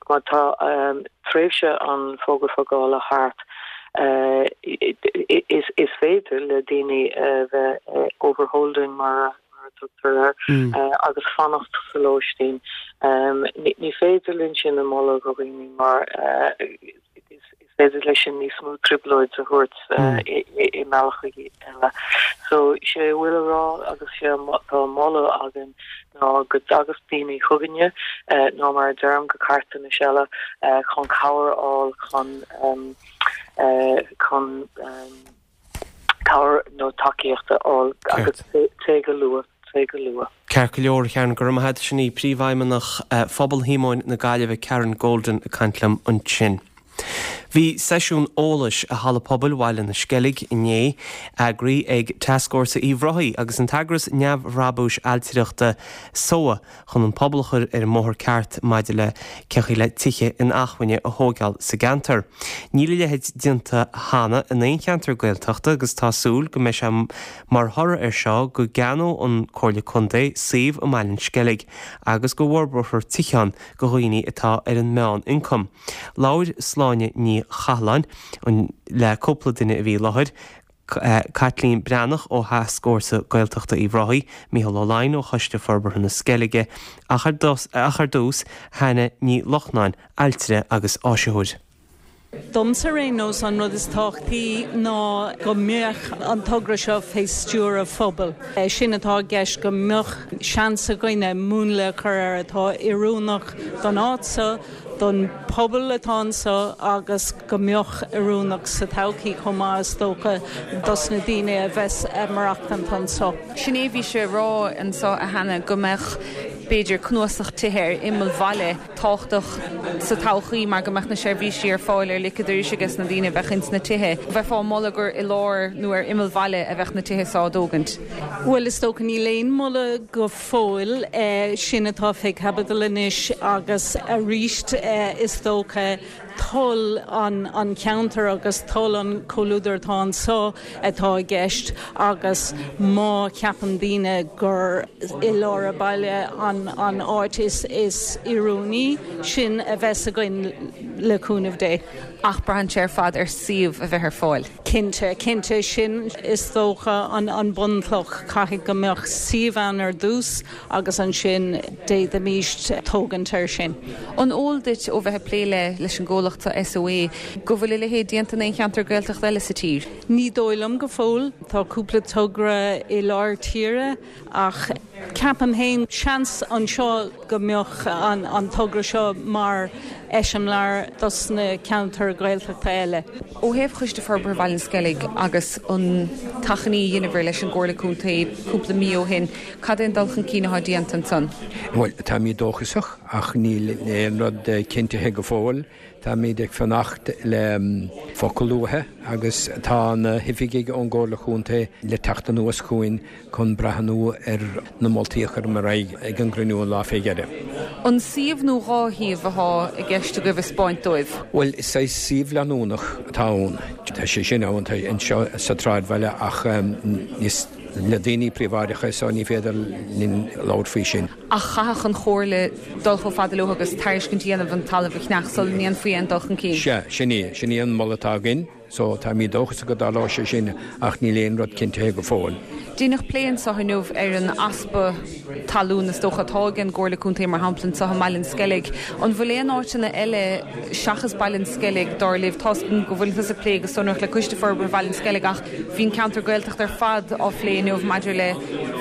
má tá tréimhse an fógra fágála thart, is, is féidir le daoine a bheith overholding mar a tugtar air agus fanacht sa lóistín. Ní féidir linn sin a mholadh do dhaoine mar is féidir leis sin níos mó trioblóid a thabhairt i mbealach eile. So sé a bhfuil a rá agus sé atá á mholadh againn ná go dtagas daoine chugainne nó mar a deirim go carthanais eile chun cabhair a fháil chun chun cabhair nó tacaíocht a fháil agus téigh go luath, téigh go luath. Ceart go leor, a Karen, go raibh maith agat. Sin í Príomhfheidhmeannach Phobal Shíomóin na Gaillimhe, Karen Golden, ag caint liom ansin. Bhí seisiún eolais i Halla Pobail Bhaile na Sceilge inné eagraithe ag Tascfhórsa Uíbh Ráthaigh agus an t-eagras neamhbhrabúis ailtireachta SOA chun an pobal a chur ar an mbóthar ceart maidir le cén chaoi le tithe inacmhainne a thógáil sa gceantar. Níl a leithéid déanta cheana in aon cheantar Gaeltachta agus tá súil go mbeidh sé mar thoradh air seo go gceannóidh an Comhairle Contae suíomh i mBaile an Sceilg agus go bhforbrófar tithe ann do dhaoine atá ar an meán-ioncam. Labhair Sláine Ní Chathalláin le cúpla duine a bhí i láthair, Caitlín Breathnach ó Thascfhórsa Gaeltachta Uíbh Ráthaigh, Mícheál Ó Laighin ó Choiste Forbartha na Sceilge, ach ar dtús, Hannah Ní Lochnáin, ailtire agus áisitheoir. Domsa ar aon nós an rud is tábhachtaí ná go mbeadh an togra seo fé stiúir an phobail. Sin atá i gceist go mbeadh seans againne múnla a chur air atá oiriúnach don áit seo, don pobal atá anseo agus go mbeadh oiriúnach sa todhchaí chomh maith is dócha dos na daoine a bheas ag maireachtaint anseo. Sin é bhí sé a rá anseo a Hannah go mbeadh b'fhéidir cnuasach tithe ar imeall bhaile tábhachtach sa todhchaí mar go mbeadh na seirbhísí ar fáil ar liquid arís ages na daoine a bheadh ins na tithe. Bheifeá ag moladh gur i lár nó ar imeall bhaile a bheadh na tithe seo á dtógaint. Bhuel is dócha níl aon moladh go fóill, sin atá fé chaibidil anois agus arís is dócha toil an cheantair agus toil an chomhluadair atá anseo atá i gceist agus má cheapann daoine gur i lár an bhaile an áit is oiriúnaí, sin a bheas againn le cúnamh Dé. Ach braitheann sé ar fad ar suíomh a bheith ar fáil. Cinnte, cinnte, sin is dócha an bunchloch, caithfidh go mbeadh suíomh ann ar dtús agus ansin d'fhéadfaimíst tógaint air sin. An eol duit ó bheith ag plé le leis an gcomhlacht SOA go bhfuil a leithéid déanta in aon cheantar Gaeltachta eile sa tír? Ní dóigh liom go fóill. Tá cúpla togra i lár tíre ach ceapaim féin, seans anseo go mbeadh an togra seo mar eiseamláir dos na ceantair Ghaeltachta eile. Ó thaobh Choiste Forbartha Bhaile an Sceilg agus an t-achainí a dheineabhair leis an gComhairle Contae cúpla mí ó shin, cad é an dul chun cinn atá déanta ansan? Bhuel, táimid dóchasach ach níl aon rud cinntithe go fóill. Táimid ag fanacht le focal uathu agus tá na hoifigigh ón gComhairle Chontae le teacht anuas chugainn chun breathnú ar na moltaí a chuireamar ar aghaidh ag an gcruinniú an lá fé dheireadh. An suíomh nó dhá shuíomh atá i gceist agaibh a 'speáint dóibh? Bhuel, is saghas suíomh leanúnach atá ann. Tá sé sin ann anseo sa tsráidbhaile ach is le daoine príobháideacha so ní féidir linn labhairt faoi sin. Ach chaithfeadh an Chomhairle dul chomh fada leo agus tairiscint a dhéanamh an talamh a cheannach sula ndéanfaí aon dul chun cinn. Sea, sin é. Sin é an moladh atá againn. So, táimid dóchasach go dtarlóidh sé sin ach níl aon rud cinntithe go fóill. Deineadh plé anseo inniu ar an easpa talún is dócha atá ag an gComhairle Contae mar shampla anseo i mBaile an Sceilg. An bhfuil aon áiteanna eile seachas Baile an Sceilg dar libh? Tá's agam go bhfuil tusa ag plé go sonrach le Coiste Forbartha Bhaile an Sceilg ach bhí an ceantar Gaeltachta ar fad á phlé inniu maidir le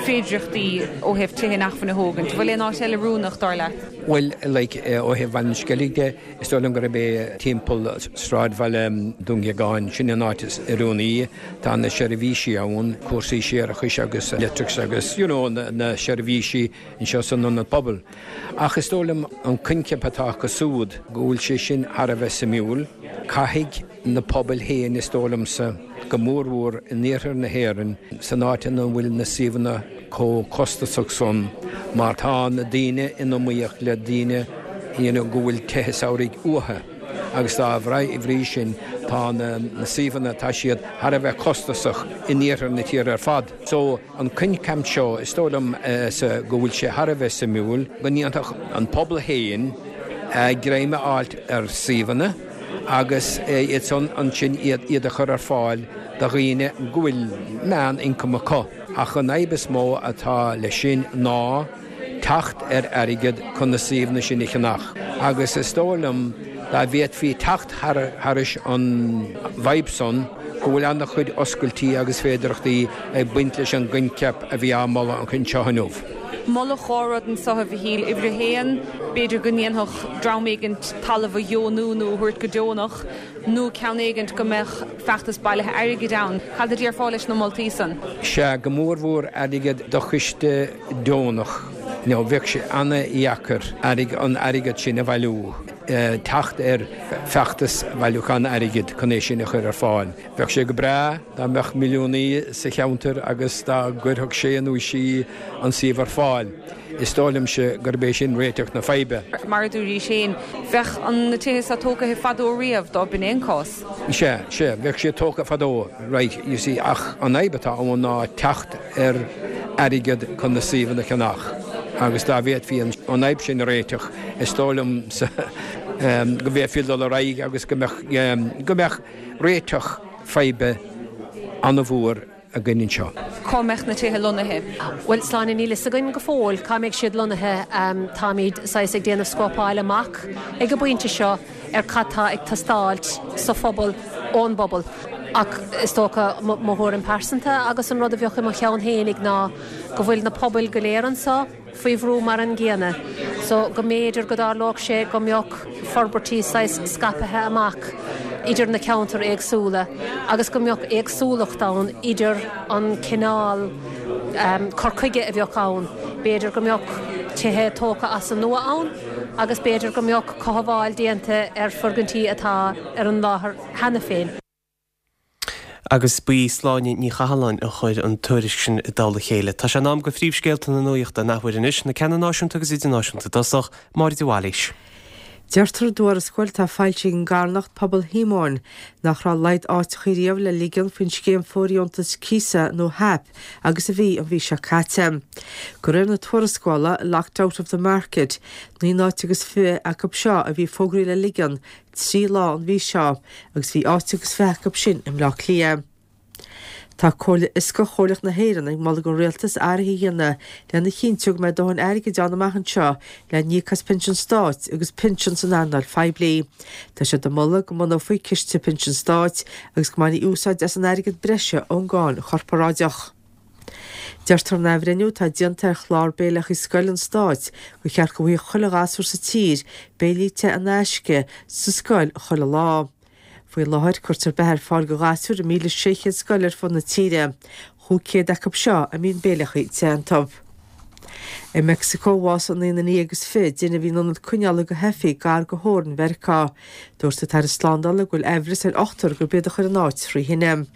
féidireachtaí ó thaobh tithe inacmhainne a thógaint. An bhfuil aon áit eile oiriúnach dar leat? Bhuel, like, ó thaobh Bhaile an Sceilg de, Is dóigh liom gurb é timpeall sráidbhaile Dún Geagáin, sin an áit is oiriúnaí. Tá na seirbhísí ann, cúrsaí séarachais agus leictreachais agus you know na seirbhísí anseo san ionad pobail. Ach is dóigh liom an coincheap atá acu siúd, go bhfuil sé sin thar a bheith suimiúil. Caithfidh na pobail féin, is dóigh liomsa, go mórmhór in iarthar na hÉireann, san áit ina bhfuil na suíomhanna chomh costasach san, mar tá na daoine in iomaíocht le daoine you know go bhfuil tithe samhraidh uathu agus dá bhrí sin tá na suíomhanna, tá siad thar a bheith costasach in iarthar na tíre ar fad. So an coincheap seo, is dóigh liom go bhfuil sé thar a bheith suimiúil, go ndéanfadh an pobal féin greim a fháilt ar suíomhanna agus iad san ansin iad a chur ar fáil do dhaoine go bhfuil meán-ioncam acu. Ach an fhadhb is mó atá leis sin ná teacht ar airgead chun na suíomhanna sin a cheannach. Agus is dóigh liom dá bhféadfaí teacht thairis an bhfadhb san, go bhfuil an-chuid oscailtí agus féidearthachtaí ag baint leis an gcoincheap a bhí á moladh anseo inniu. Moladh dhá rud anseo, a Mhichíl. Uimhir a haon, b'fhéidir go ndéanfadh dream éigint talamh a dheonú nó a thabhairt go deonach, nó ceann éigint go mbeadh feachtas bailithe airgid ann. Cad a déarfá leis na moltaí san? Sea, go mórmhór airgead do choiste deonach. Nó bheadh sé ana-dheacair an airgead sin a bhailiú. teacht ar feachtas bailiúchán airgid chun é sin a chur ar fáil. Bheadh sé go breá dá mbeadh milliúnaí sa cheantar agus dá gcuirfeadh sé nó sí an suíomh ar fáil. Is dóigh liomsa gurb é sin réiteach na faidhbe. Mar a dúraís féin, bheadh an na tithe seo tógtha fadó riamh dá b'in é an cás. Sea, sea, bheadh siad tógtha fadó, right, you see, ach an fhadhb atá ann ná teacht ar airgead chun na suíomhanna a cheannach agus dá bhféadfaí an fhadhb sin a réiteach, is dóigh liomsa go bhféadfaí dul ar aghaidh agus go mbeadh, go mbeadh réiteach faidhbe an-mhór againn anseo. Cá mbeadh na tithe lonnaithe? Bhuel, Sláine, níl fhios againn go fóill cá mbeidh siad lonnaithe. Táimid saghas ag déanamh scópáil amach ag an bpointe seo ar cad tá ag teastáilt sa phobal, ón bpobal. Ach is dócha mo thuairim pearsanta agus an rud a bheadh i mo cheann fhéinig ná go bhfuil na pobail go léir anseo faoi bhrú mar an gcéanna so go mb'fhéidir go dtarlódh sé go mbeadh forbairtí saghas scaipthe amach idir na ceantair éagsúla agus go mbeadh éagsúlacht ann idir an cineál cur chuige a bheadh ann. B'fhéidir go mbeadh tithe tógtha as an nua ann agus b'fhéidir go mbeadh cothabháil déanta ar foirgintí atá ar an láthair cheana féin. Agus ba í Sláine Ní Chathalláin a chuir an tuairisc sin i dtoll a chéile. Tá sé in am go phríomhscéalta na nuachta an athuair anois, na ceanna náisiúnta agus idirnáisiúnta i dtosach, Máire de Bhailís. Deirtear i dtuarascáil atá foilsithe ag an gcarthanacht Pobal Shíomóin nach raibh a laghad áiteacha riamh le ligean faoin scéim fóirdheontas cíosa nó HAP agus a bhí an mhí seo caite. De réir na tuarascála Locked Out of the Market, naoi n-áit agus fiche acu seo a bhí fógraithe le ligean trí lá an mhí seo agus bhí áit agus fiche acu sin i mBleá Cliath. Tá Comhairle Fhioscach Chomhairleach na hÉireann ag moladh don Rialtas athruithe a dhéanamh lena chinntiú go mbeidh dóthain airgid ann amach anseo le n-íoc as pinsin stáit agus pinsin san earnáil phoiblí. Tá siad ag moladh go mbunófaí ciste pinsin stáit agus go mbainfí úsáid as an airgead breise ón gcáin chorparáideach. Deirtear in athbhreithniú atá déanta ar chlár béileacha scoile an stáit gur cheart go bhfaigheadh chuile ghasúr sa tír béilí te in aisce sa scoil chuile lá. Faoi láthair, cuirtear beatha ar fáil do ghasúir i míle sé chéad scoil ar fud na tíre, chúig chéad acu seo a mbíonn béileacha te iontu. I Meicsiceo, bhásaigh naoi nduine déag agus fiche duine a bhí in ionad coinneála do theifigh gar do theorainn Mheiriceá. Dúirt an tAire Slándála go bhfuil aimhreas ar ochtar gurb iad a chuir an áit trí thine.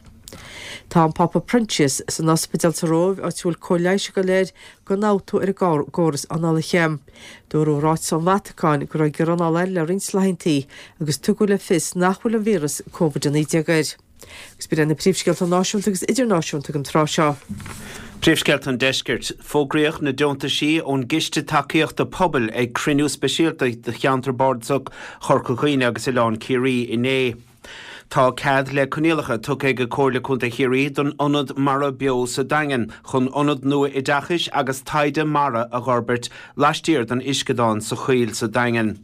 Tá an Pápa Proinsias san ospidéal sa Róimh, áit a bhfuil cóir leighis ag dul air d'ionfhabhtú ar an gcóras análaithe. Dúradh i ráiteas ón Vatacáin go raibh giorra anála air le roinnt laethanta agus tugadh le fios nach bhfuil an víreas Covid a naoi déag air. Agus b'in iad na príomhscéalta náisiúnta agus idirnáisiúnta don tráth seo. Príomhscéalta an Deiscirt. Fógraíodh na deontaisí ón gCiste Tacaíochta Pobail ag cruinniú speisialta de Cheantar Bardasach Chorca Dhuibhne agus Oileán Ciarraí inné. Tá cead le coinníollacha tugtha ag Comhairle Contae Chiarraí don Ionad Mara Beo sa Daingean chun ionad nua oideachais agus taighde mara a dh'fhorbairt laistiar den uisceadán sa Choill sa Daingean.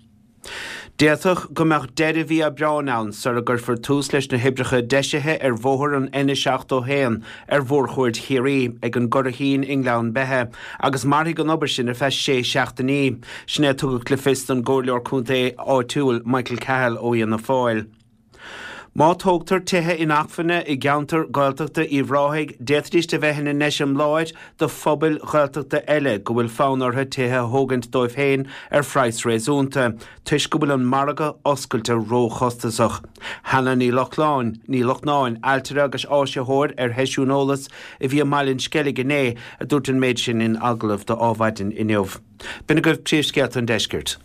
D'fhéadfadh go mbeadh deireadh mhí Aibreáin ann sara gcuirfear tús leis na hoibreacha deisithe ar bhóthar an N seachtó a haon ar Mhórchuaird Chiarraí ag an gCurraichín i nGleann Beithe agus mairfidh an obair sin ar feadh sé seachtainí. Sin é a tugadh le fios don gComhairleoir Contae áitiúil Michael Cahill ó Fhianna Fáil. Má tógtar tithe inacmhainne i gceantar Gaeltachta Uíbh Ráthaigh, d'fhéadfaidís a bheith ina n-eiseamláir do phobail Ghaeltachta eile go bhfuil fonn orthu tithe a thógaint dóibh féin ar phraghas réasúnta, toisc go bhfuil an margadh oscailte róchostasach. Hannah Ní Lochlainn, Ní Lochnáin, ailtire agus áisitheoir ar sheisiún eolais a bhí i mBaile an Sceilg inné, a dúirt an méid sin in agallamh do Adhmhaidin inniu. B'in agaibh príomhscéalta an deiscirt.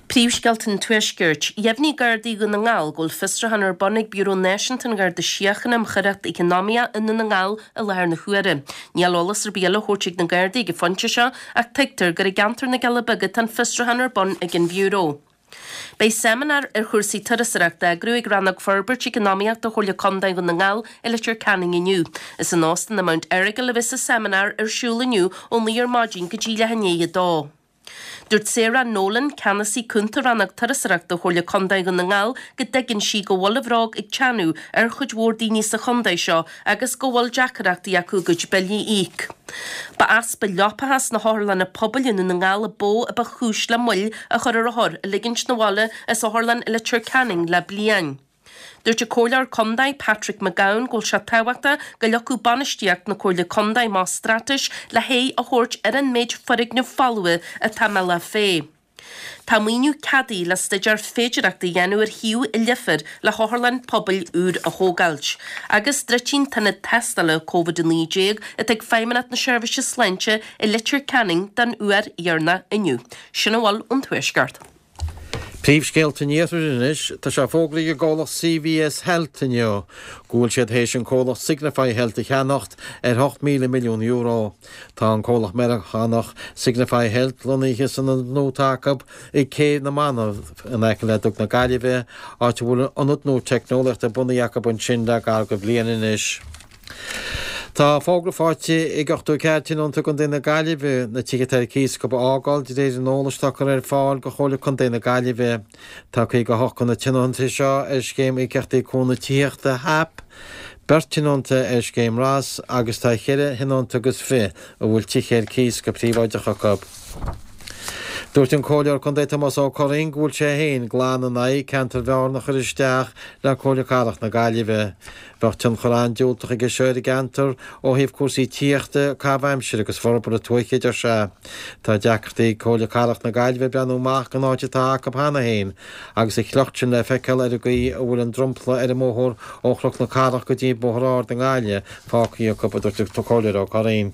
Príomhscéalta an Tuaiscirt. Dheimhnigh Gardaí Dhún na nGall go bhfuil fiosrúchán ar bun ag Biúró Náisiúnta an Gharda Síochána um Choireacht Eacnamaíoch i nDún na nGall i láthair na huaire. Níl eolas ar bith eile á thabhairt ag na Gardaí ag an phointe seo ach tuigtear gur i gceantar na gCealla Beaga atá an fiosrúchán ar bun ag an Bhiúró. Beidh seimineár ar chúrsaí turasóireachta á eagrú ag Rannóg Forbairt Eacnamaíochta Chomhairle Contae Dhún na nGall i Leitir Ceanainn inniu. Is in Óstán an Mount Errigal a bheas an seimineár ar siúl inniu ó naoi ar maidin go dtí leath i ndiaidh a dó. Dúirt Sarah Nolan, Ceannasaí Cúnta Rannóg Turasóireachta Chomhairle Contae Dhún na nGall go dtuigeann sí go bhfuil an bhróg ag teannadh ar chuid mhór daoine sa chontae seo agus go bhfuil deacaireachtaí acu a gcuid billí a íoc. Ba easpa leapacha sna hotharlanna pobail i nDún na nGall a ba mhó a ba chúis le moill a chur ar othair a ligint 'na bhaile as otharlann i Leitir Ceanainn le bliain. Dúirt an Comhairleoir Contae Patrick McGowan go bhfuil sé tábhachtach go leagfadh bainistíocht na Comhairle Contae amach straitéis le haghaidh a thabhairt ar an méid foirgneamh folmha atá i mBealach Féich. Tá maoiniú ceadaithe le staidéar féidearthachta a dhéanamh ar shuíomh i Leifear le hotharlann pobail úr a thógáilt. Agus druidfidh an t-ionad tástála Covid a naoi déag atá ag Feidhmeannacht na Seirbhíse Sláinte i Leitir Ceanainn den uair dheireanach inniu. Sin a bhfuil ón Tuaisceart. Príomhscéalta an Iarthair anois, tá sé fógraithe ag an gcomhlacht CVS Health inniu go bhfuil siad théis an comhlacht Signify Health a cheannacht ar hocht míle milliún euro. Tá an comhlacht Meiriceánach Signify Health lonnaithe san ionad nua atá acu i gCé na Manach in aice le Duc na Gaillimhe, áit a bhfuil ionad nua teicneolaíochta bunaithe acu ansin le gar do bhliain anois. Tá fógra faighte ag ochtó a ceathair tionónta i gContae na Gaillimhe na tithe atá ar cíos acu a fhágáil de réir an eolais atá curtha ar fáil do Chomhairle Contae na Gaillimhe. Tá caoga a hocht de na tionóntaí seo ar Scéim Íocaíochtaí Cúnamh Tithíochta, HAP, beirt tionónta ar Scéim ras agus tá cheithre thionónta agus fiche a bhfuil tithe ar cíos go príobháideach acu. Dúirt an Comhairleoir Contae Tomás Ó Curraoin go bhfuil sé féin glan in aghaidh ceantar Bhearna a chur isteach le Comhairle Cathrach na Gaillimhe. Bheadh tionchar an-diúltach aige seo ar an gceantar ó thaobh cúrsaí tithíochta, caitheamh aimsire agus forbartha tuaithe, a deir sé. Tá deacrachtaí ag Comhairle Cathrach na Gaillimhe breathnú amach den áit atá acu cheana féin agus a shliocht sin le feiceáil ar an gcaoi a bhfuil an dromchla ar an mbóthar ó Chnoc na Cathrach go dtí Bóthar Ard i nGaillimh fágtha acu, a dúirt an Comhairleoir Ó Curraoin.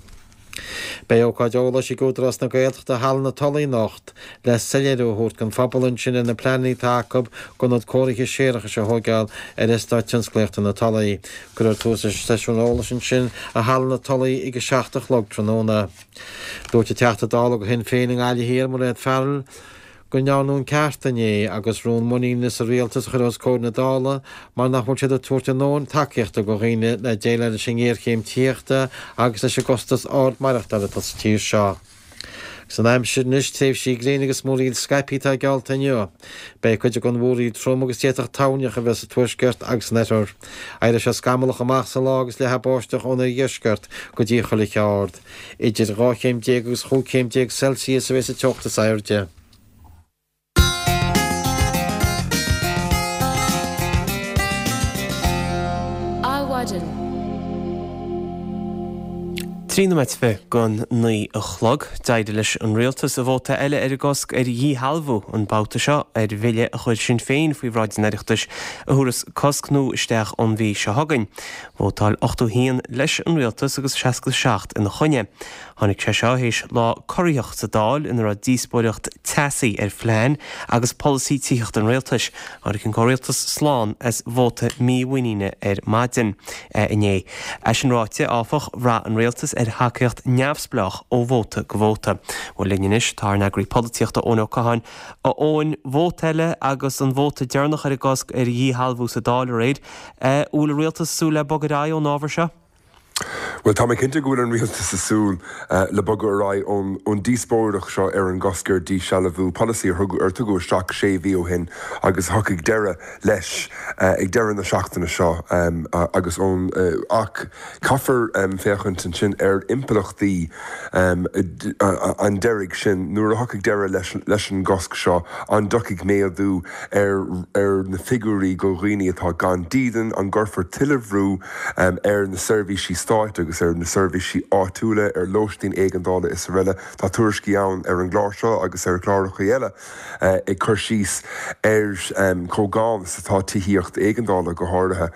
Beidh ócáid eolais ag Údarás na Gaeltachta i Halla na Tulaí anocht le soiléiriú a thabhairt don phobal ansin ar na pleananna atá acu d'ionad cóirithe séarachais a thóigeáil ar Eastát Tionsclaíochta na Tulaí. Cuirfear tús leis an seisiún eolais ansin i Halla na Tulaí ag a seacht a chlog tráthnóna. Dúirt an Teachta Dála do Shinn Féin i nGaillimh Thiar, Mairéad Farrell, go ndearnadh an ceart inné agus rún muiníne sa rialtas a chur os comhair na Dála mar nach bhfuil siad ag tabhairt a ndóthain tacaíochta do dhaoine le déileáil leis an ngéarchéim tithíochta agus leis an gcostas ard maireachtála atá sa tír seo. Agus an aimsir anois, tréimhsí gréine agus múraíl scaipthe atá geallta inniu. Beidh cuid den mhúraíl trom agus d'fhéadfadh toirneach a bheith sa tuaisceart agus san oirthear. Éireoidh sé scamallach amach sa lá agus leathfaidh báisteach ón oirdheisceart go dtí an Choill Ard. Idir dhá chéim déag agus chúig chéim déag Celsius a bheas an teocht is airde. Adhmhaidin. Trí nóiméad fiche don naoi a chlog. D'éirigh leis an Rialtas vóta eile ar an gcosc ar dhíshealbhú, an babhta seo ar bhille a chuir Sinn Féin faoi bhráid an Oireachtais a thabharfas cosc nua isteach ón mhí seo chugainn. Vótáil ochtó a haon leis an Rialtas agus seasca a seacht ina choinne. Tháinig sé seo théis lá corraitheach sa Dáil ina raibh díospóireacht teasaí ar phlean agus polasaí tithíochta an rialtais. Tháinig an comhrialtas slán as vóta mímhuiníne ar maidin inné. É sin ráite, áfach, bhraith an rialtas ar thacaíocht neamhspleách ó vóta go vóta. Bhuel, linn anois tá ár n-eagraí polaitíochta Eoin Ó Catháin. A Eoin, vóta eile agus an vóta deireanach ar an gcosc ar dhíshealbhú sa Dáil aréir. An bhfuil an rialtas ag súil le bogadh ar aghaidh ón ábhar seo? Bhuel, tá mé cinnte go bhfuil an rialtas ag súil le bogadh ar aghaidh ón díospóireacht seo ar an gcosc ar dhíshealbhú, polasaí ar tugadh isteach sé mhí ó shin agus a thiocfaidh deireadh leis ag deireadh na seachtaine seo agus ón ach caithfear féachaint ansin ar impleachtaí an deiridh sin nuair a thiocfaidh deireadh leis an gcosc seo, an dtiocfaidh méadú ar ar na figiúirí go dhaoine atá gan dídean, an gcuirfear tuilleadh bhrú ar na seirbhísí stáit agus ar na seirbhísí áitiúla, ar lóistín éigeandála is araile. Tá tuairiscí ann ar an gclár seo agus ar chláracha eile ag cur síos ar chomh gann is atá tithíocht éigeandála go háirithe.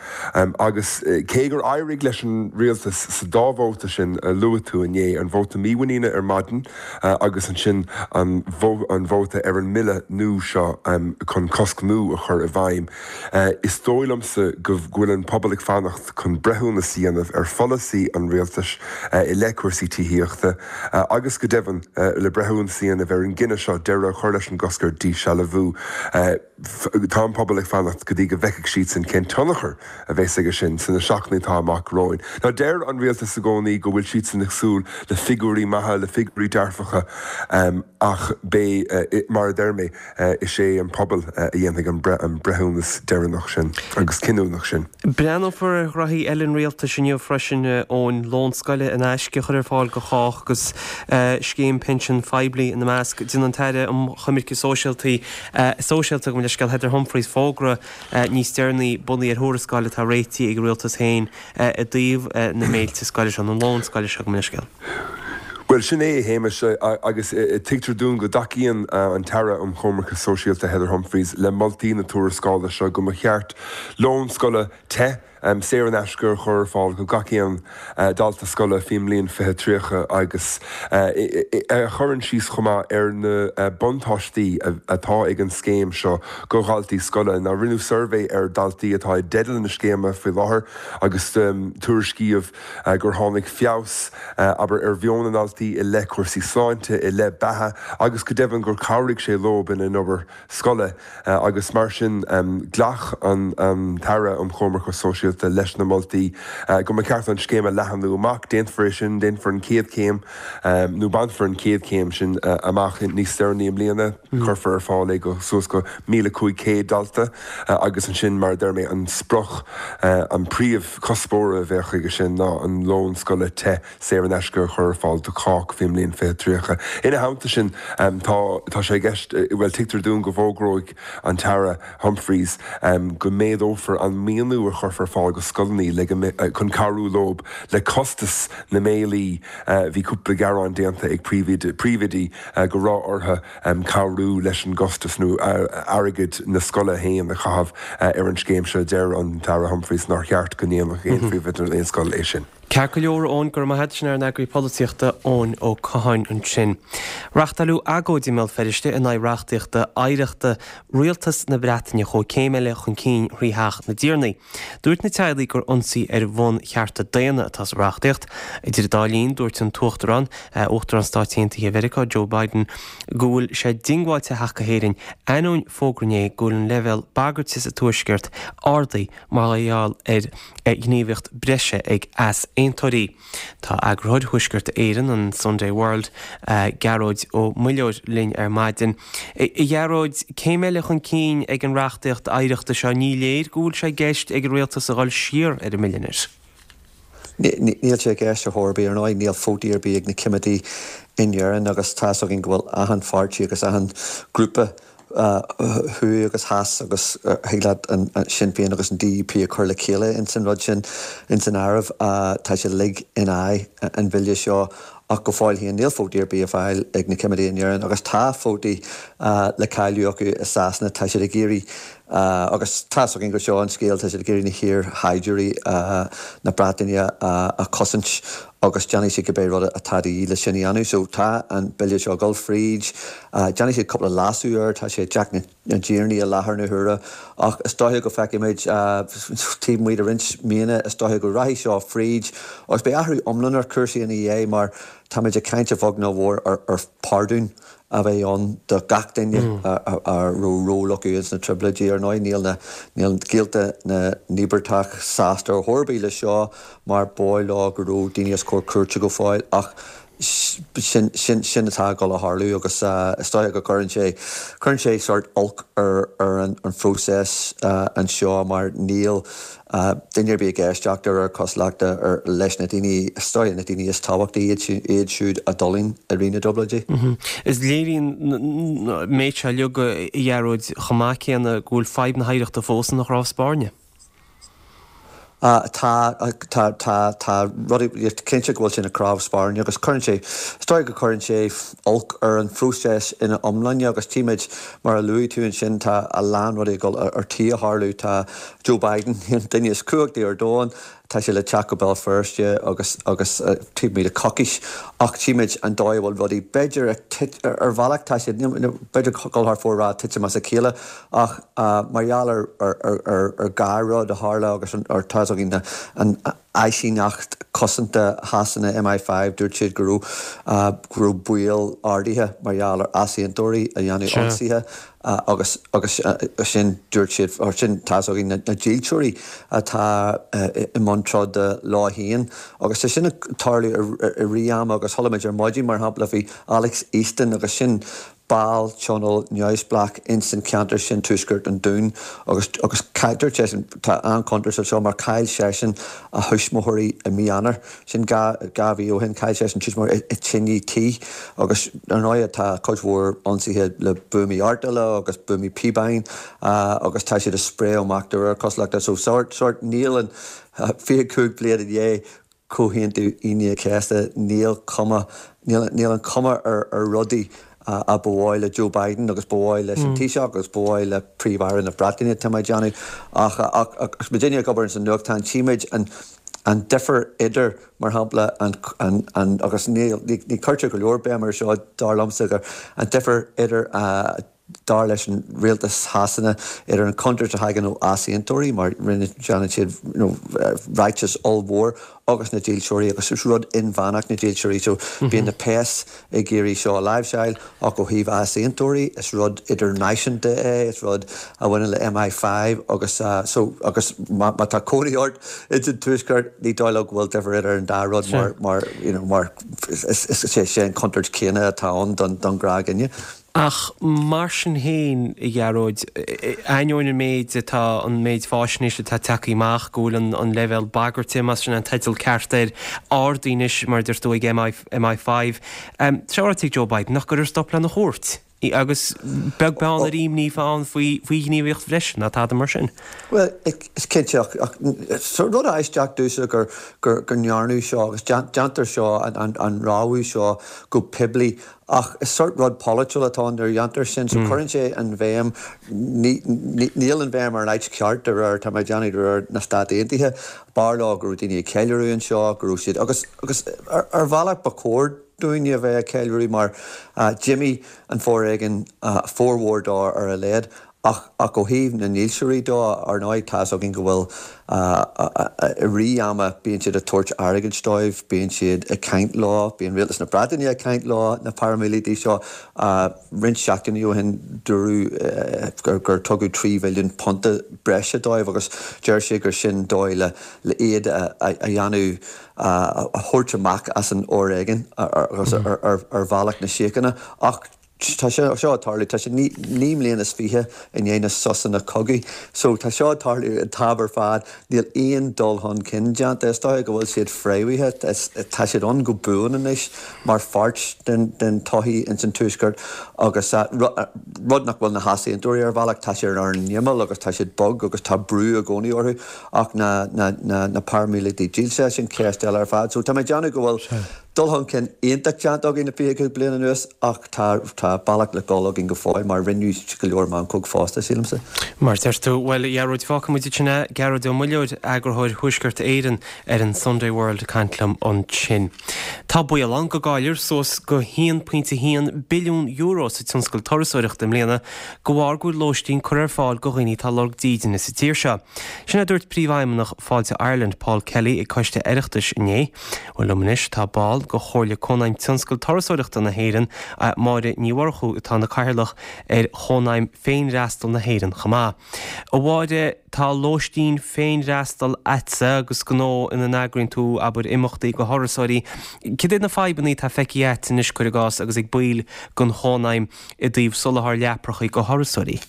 Agus cé gur éirigh leis an rialtas sa dá vóta sin a luaigh tú inné, an vóta mímhuiníne ar maidin agus ansin an vóta ar an mbille nua seo chun cosc nua a chur i bhfeidhm, Is dóigh liomsa go bhfuil an pobal ag fanacht chun breithiúnas a dhéanamh ar pholasaí an rialtais i leith cúrsaí tithíochta agus go deimhin le breithiúnas a dhéanamh ar an gcinneadh seo deireadh a chur leis an gcosc ar dhíshealbhú. Tá an pobal ag fanacht go dtí go bhfeicfidh siadsan cén tionchar a bheas aige sin sna seachtainí atá amach romhainn. Now deir an rialtas i gcónaí go bhfuil siadsan ag súil le figiúirí maithe, le figiúirí dearfacha ach beidh, mar a deir mé, Is é an pobal a dhéanfaidh an breithiúnas deireanach sin agus cinniúnach sin. Breathnófar ar ghraithí eile an rialtais inniu freisin, Eoin, lón scoile in aisce a chur ar fáil do chách agus scéim pinsin phoiblí ina measc. Déanfaidh an tAire um Choimirce Sóisialta, Sóisialta, gabh mo leithscéal, Heather Humphreys fógra níos deireanaí bunaithe ar thuarascáil atá réitithe ag an rialtas féin i dtaobh na mbéiltí scoile seo, na lón scoile seo, gabh mo leithscéal. Bhuel, sin é, a Shéamais, agus tuigtear dúinn go dtacaíonn an tAire um Choimirce Sóisialta Heather Humphreys le moltaí na tuarascála seo go mba cheart lón scoile te, saor in aisce a chur ar fáil go gach aon dalta scoile faoin mbliain fiche tríocha agus a chuireann síos chomh maith ar na buntáistí atá ag an scéim seo go dhaltaí scoile. Now rinneadh suirbhé ar dhaltaí atá i dteideal na scéime faoi láthair agus tuairiscíodh gur tháinig feabhas, abair, ar mheon na ndaltaí i leith cúrsaí sláinte, i leith beatha agus go deimhin gur chabhraigh sé leo ina n-obair scoile agus mar sin ghlac an tAire um Choimirce Sóisialta leis na moltaí go mba cheart an scéim a leathnú amach. Déanfar é sin, déanfar an chéad chéim nó bainfear an chéad chéim sin amach níos deireanaí i mbliana, cuirfear ar fáil é go suas go míle cúig chéad dalta agus ansin, mar a deir mé, an sprioc, an príomhchuspóir a bheadh aige sin ná an lón scoile te saor in aisce a chur ar fáil do chách faoin mbliain fiche tríocha. Ina theannta sin, tá tá sé i gceist, bhuel, tuigtear dúinn go bhfógróidh an tAire Humphreys go méadófar an maoiniú a chuirfear ar fáil go scoileanna le go chun cabhrú leo le costas na mbéilí. Bhí cúpla gearán déanta ag príomhoidí go raibh orthu cabhrú leis an gcostas nó airgead na scoile féin a chaitheamh ar an scéim seo. Deir an tAire Humphreys nár cheart go ndéanfadh aon phríomhoide aon scoil é sin. Ceart go leor, Eoin, go raibh maith agat. Sin ár n-eagraí polaitíochta, Eoin Ó Catháin ansin. Reachtáileadh agóid i mBéal Feirste in aghaidh reachtaíochta oidhreachta Rialtas na Breataine chuaigh céim eile chun cinn thrí Theach na dTiarnaí. Dúirt na teaghlaigh gur ionsaí ar bhun-chearta daonna atá sa reachtaíocht. Idir an dá linn, dúirt an tUachtarán, Uachtarán Stáit Aontaithe Mheiriceá, Joe Biden, go bhfuil sé diongbháilte theacht go hÉirinn, ainneoin fógra inné go bhfuil an leibhéal bagairte sa Tuaisceart ardaithe mar gheall ar ghníomhaíocht breise ag easaontóirí. Tá eagarthóir Thuaisceart Éireann, an Sunday World, Gearóid Ó Muilleoir linn ar maidin. A Ghearóid, céim eile chun cinn ag an reachtaíocht oidhreachta seo, ní léir go bhfuil sé i gceist ag an rialtas a dhul siar ar an mbille anois. Níl sé i gceist ar chor ar bith, ar ndóigh níl vótaí ar bith ag na coimeádaigh in Éirinn agus tá's againn go bhfuil achan pháirtí agus achan grúpa thuaidh agus theas agus thig leat an Sinn Féin agus an D U P a chur le chéile ins an rud sin ins an áireamh. Tá siad uilig in aghaidh an bhille seo ach go fóill féin níl vótaí ar bith ar fáil ag na coimeádaigh in Éirinn agus tá vótaí le cailleadh acu i Sasana. Tá siad ag iarraidh agus tá's againn gur seo an scéal, tá siad ag iarraidh na hiar-shaighdiúirí na Breataine a chosaint agus déanfaidh siad cibé rud atá de dhíth le sin a dhéanamh. So tá an bille seo ag dul fríd, déanfaidh siad cúpla leasú air, tá sé i dTeach na dTiarnaí i láthair na huaire ach is dóiche go bhfeicfimid taobh amuigh de roinnt míonna, is dóiche go rachaidh seo fríd agus beidh athrú iomlán ar chúrsaí ina dhiaidh mar táimid ag caint a bheag nó a mhór ar phardún a bheidh ann do gach duine a raibh ról acu ins na Trioblóidí. Ar ndóigh níl na, níl gaolta na n-íobartach sásta ar chor ar bith leis seo mar b'dhóigh leo go raibh daoine os comhair cúirte go fóill ach sin, sin, sin atá ag dul a tharlú agus is dóiche go gcuireann sé, cuireann sé sórt olc ar, ar an, an phróiseas anseo mar níl duine ar bith ag éisteacht de réir cosúlachta leis na daoine, is dóigh, na daoine is tábhachtaí, iad siúd a d'fhulaing i rith na dTrioblóidí. Is léiríonn an méid seo uilig, a Ghearóid, chomh maith céanna go bhfuil fadhb na hoidhreachta fós ina chnámh spairne. Tá, tá, tá, tá rudaí, cinnte go bhfuil sé ina chnámh spairne agus cuireann sé, is dóigh go gcuireann sé olc ar an phróiseas ina iomláine agus tímid, mar a luaigh tú ansin, tá a lán rudaí ag dul ar tí a tharlú, tá Joe Biden, an duine is cumhachtaí ar domhan, tá sé le teacht go Béal Feirste agus, agus taobh amuigh de coicís ach tímid an dóigh a bhfuil rudaí, b'fhéidir ag tit, ar bhealach tá siad, b'fhéidir dul thar fóir a rá titim as a chéile ach mar gheall ar, ar, ar, ar dhá rud a tharla agus an, ar tá's againn na, an áisíneacht cosanta Shasana, M I five, dúirt siad go raibh, go raibh baol ardaithe mar gheall ar easaontóirí a dhéanamh ionsaithe agus, agus sin dúirt siad, or sin tá's againn na, na dílseoirí atá i mbun troda leo féin agus tá sin ag tarlú i rith ama agus chuala muid ar maidin mar shampla bhí Alex Easton agus sin ball tionóil neamhspleách ins an ceantar sin, tuaisceart an Dúin, agus agus dúirt seisean, tá an-chontúirt anseo mar chaill seisean a thuismitheoirí i mí Eanáir, sin dhá dhá mhí ó shin, chaill seisean tuismitheoirí i tine tí agus ar ndóigh tá cuid mhór ionsaithe le buamaí artaille agus buamaí píobáin agus tá siad ag spréadh amach de réir cosúlachta so sórt sórt níl an fiche cúig bliain i ndiaidh Comhaontú Aoine an Chéasta, níl cuma, níl níl an cuma ar ar rudaí a ba mhaith le Joe Biden agus ba mhaith leis an Taoiseach agus ba mhaith le Príomh-Aire na Breataine, tá mé ag déanamh. Ach ach ach muidinne ag obair ins an nuachtán, tchímid an an difear idir, mar shampla, an an an agus ní ní cuirtear go leor béim air seo, dar liomsa, gur an difear idir dar leis an rialtas Shasana, idir an chontúirt a thagann ó easaontóirí, mar rinne, déanann siad you know ráiteas ollmhór, agus na dílseoirí, agus is rud inmheánach na dílseoirí, so bíonn na péas ag iarraidh seo a láimhseáil, ach ó thaobh easaontóirí, is rud idirnáisiúnta é, is rud a bhaineann le MI five agus so, agus má tá cónaí ort ins an Tuaisceart, ní dóigh liom go bhfuil difear idir an dá rud mar, mar, you know, mar is, is, is é an chontúirt chéanna atá ann don, don ghnáthdhuine. Ach mar sin féin, a Ghearóid, ainneoin an méid atá, an méid fáisnéise atá tagtha amach, go bhfuil an leibhéal bagairte, más sin an teideal ceart air, ardaithe anois, mar a deir tú, ag MI five, tá sé ráite ag Joe Biden nach gcuirfear stop lena chuairt, agus beag beann ar imní ann faoi ghníomhaíocht bhreise ná tada mar sin. Bhuel, is cinnte, ach rud aisteach domhsa gur go ndearnadh seo agus déantar seo, an rabhadh seo go poiblí Ach is sórt rud polaitiúil atá ann nuair a dhéantar sin, so cuireann sé an bhéim, níl an bhéim ar an áit cheart de réir, tá mé ag déanamh, de réir na Stát Aontaithe. B'fhearr leo go raibh daoine ag ceiliúradh anseo, go raibh siad, agus, agus ar bhealach ba chóir dúinne a bheith ag ceiliúradh mar d'imigh an foréigean, formhór dó ar a laghad. Ach ach ó thaobh na ndílseoirí dó, ar ndóigh, tá's againn go bhfuil i rith ama, bíonn siad ag tabhairt airgid dóibh, bíonn siad ag caint leo, bíonn rialtas na Breataine ag caint leo, na paraimíleataigh seo. Roinnt seachtainí ó shin dúradh gur gur tugadh trí mhilliún punta breise dóibh agus deir siad gur sin dóigh le le iad a a dhéanamh a thabhairt amach as an fhoréigean agus ar ar ar bhealach na síochána. Ach Tá sé seo ag tarlú, tá sé naoi mbliana is fiche i ndiaidh na sosanna cogaidh. So tá seo ag tarlú an t-am ar fad, níl aon dul chun cinn déanta. Is dóigh go bhfuil siad fréamhaithe, tá siad ann go buan anois mar pháirt den den tsochaí ins an Tuaisceart agus rud nach bhfuil na heasaontóirí ar bhealach, tá siad ar an imeall agus tá siad bog agus tá brú i gcónaí orthu ach na na na na paraimíleataigh dílse, sin ceist eile ar fad. So tá mé ag déanamh go bhfuil Dul chun cinn iontach déanta againn le fiche cúig bliain anuas ach tá tá bealach le dul againn go fóill mar rinneadh go leor meancóg fosta, sílimse. Mar a deir tú. Bhuel, a Ghearóid, fágfaidh muid ansin é. Gearóid Ó Muilleoir, eagarthóir Thuaisceart Éireann ar an Sunday World ag caint liom ansin. Tá baol ann go gcaillfear suas go haon pointe haon billiún euro sa tionscal turasóireachta i mbliana de bharr go bhfuil lóistín curtha ar fáil do dhaoine atá ag lorg dídine sa tír seo. Sin a dúirt Príomhfheidhmeannach Fáilte Ireland, Paul Kelly ag Coiste Oireachtais inné. Bhuel liom anois tá ball de Chomhairle Cónaidhm Tionscal Turasóireachta na hÉireann, Máire Ní Mhurchú, atá ina cathaoirleach ar Chónaidhm Féinfhreastail na hÉireann chomh maith. A Mháire, tá lóistín féinfhreastail a'dsa agus gnó ina n-eagraíonn tú, abair, imeachtaí do thurasóirí. Cad iad na fadhbanna atá feicthe a'd anois, cuir i gcás, agus ag baill den Chónaidhm i dtaobh soláthar leaprachaí do thurasóirí?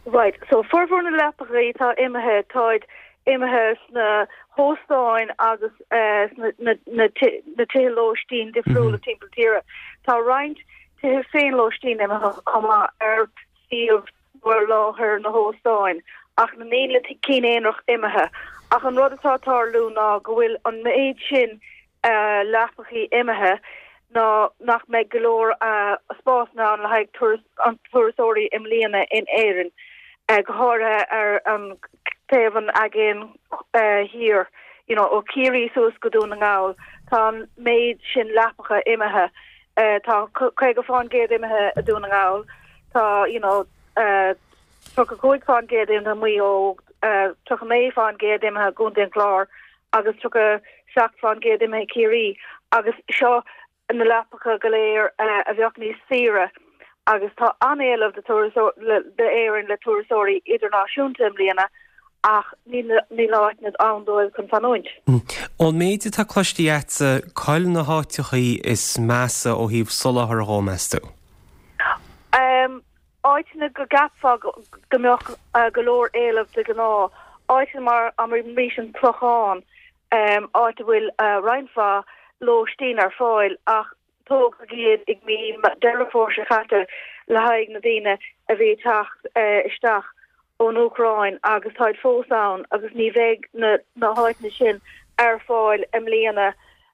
Right, so formhór na leapachaí atá imithe, táid imithe sna hóstáin agus sna na tithe lóistín difriúla timpeall na tíre. Tá roinnt tithe féinlóistín imithe chomh maith ar suíomh nó ar láthair na hóstáin, ach níl na cinn aonarach imithe. Ach an rud atá ag tarlú ná go bhfuil an méid sin leapachaí imithe ná nach mbeidh go leor spásanna ann le haghaidh an turasóirí i mbliana in Éirinn, go háirithe ar an taobh an aigéin thiar, you know, ó Chiarraí suas go Dún na nGall, tá an méid sin leapacha imithe. Tá caoga fán gcéad imithe i Dún na nGall, tá, you know, tríocha cúig fán gcéad imithe i Maigh Eo, tríocha naoi fán gcéad imithe i gContae an Chláir agus tríocha seacht fán gcéad imithe i Ciarraí agus seo na leapacha go léir a bheadh níos saoire agus tá an-éileamh d'Éirinn le turasóirí idirnáisiúnta i mbliana ach níl níl áiteanna ann dóibh chun fanúint. Ón méid atá cloiste a'dsa, cá'il na háiteachaí is measa ó thaobh soláthar dhó, meas tú? Áiteanna go gceapfá go mbeadh go leor éileamh de ghnáth, áiteanna mar abraimis an Clochán, áit a bhfuil roinnt mhaith lóistín ar fáil ach tógadh iad i mí Deireadh Fómhair seo caite le haghaidh na daoine a bhí ag teacht isteach ón Úcráin agus táid fós ann agus ní bheidh na háiteanna sin ar fáil i mbliana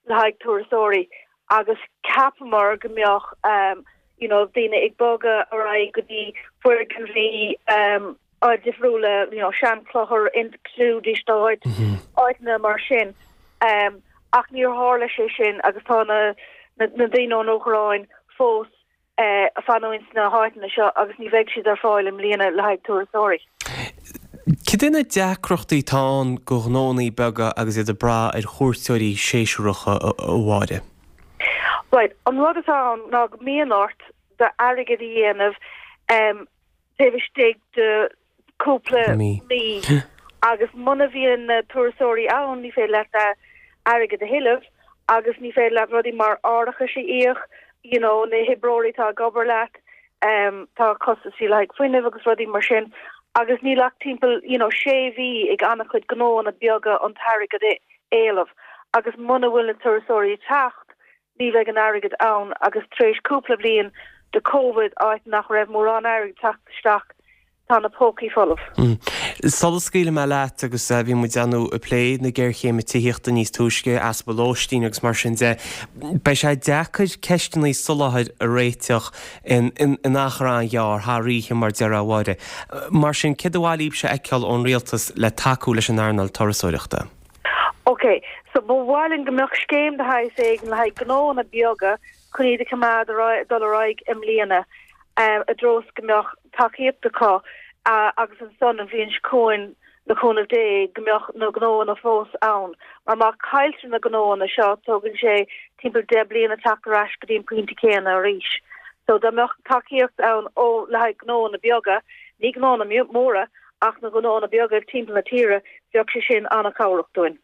le haghaidh turasóirí agus cheapamar go mbeadh um, you know, daoine ag bogadh ar aghaidh go dtí foirgnimh um, áit difriúla, you know, seanchlochar included áit áiteanna mar sin. Um, ach níor tharla sé sin agus tá na, na, na daoine ón Úcráin fós eh, ag fanúint sna háiteanna seo agus ní bheidh siad ar fáil i mbliana le haghaidh turasóirí. Cad é na deacrachtaí atá ann do ghnónnaí beaga agus iad ag brath ar chuairteoirí séasúracha a Mháire? Right, an rud atá ann ná go mbíonn ort d'airgead a dhéanamh um, taobh istigh de cúpla Mí. mí agus muna bhíonn na turasóirí ann ní féidir leat airgead a thuilleamh agus ní féidir leat rudaí mar árachas a íoc, you know, na hoibreoirí atá ag obair leat, um, tá costaisí le haghaidh fuinnimh agus rudaí mar sin agus níl ach timpeall you know, sé mhí ag an-chuid gnóanna beaga an t-airgead a éileamh agus muna bhfuil na turasóirí ag teacht ní bheidh an airgead ann agus tar éis cúpla bliain de COVID áit nach raibh mórán airgead teacht isteach tá na pócaí folamh. Mm. Sula scaoilfidh mé leat agus eh, bhí muid ann ag plé na géarchéime tithíochta níos túisce, easpa lóistín agus mar sin de. Beidh sé deacair ceisteanna soláthair a réiteach in, in, in achar an-ghearr thar oíche mar a déarfá a Mháire. Mar sin céard ba mhaith libhse a fheiceáil ón rialtas le tacú leis an earnáil turasóireachta. Ok, so ba mhaith linn go mbeadh scéim de shaghas éigin le haghaidh gnóanna beaga chun iad a choimeád ar aghaidh- dul ar aghaidh i mbliana um, i dtreo is go mbeadh tacaíocht acu uh, agus ansan an bhliain seo chugainn le cúnamh Dé go mbeadh na gnóanna fós ann. Mar má chailltear na gnóanna seo tógann sé timpeall deich bliana teacht ar ais go dtí an pointe céanna arís. So dá mbeadh tacaíocht ann ó le haghaidh gnóanna beaga, ní gnóanna móra ach na gnóanna beaga timpeall na tíre, bheadh sé sin an-chabhrach dúinn.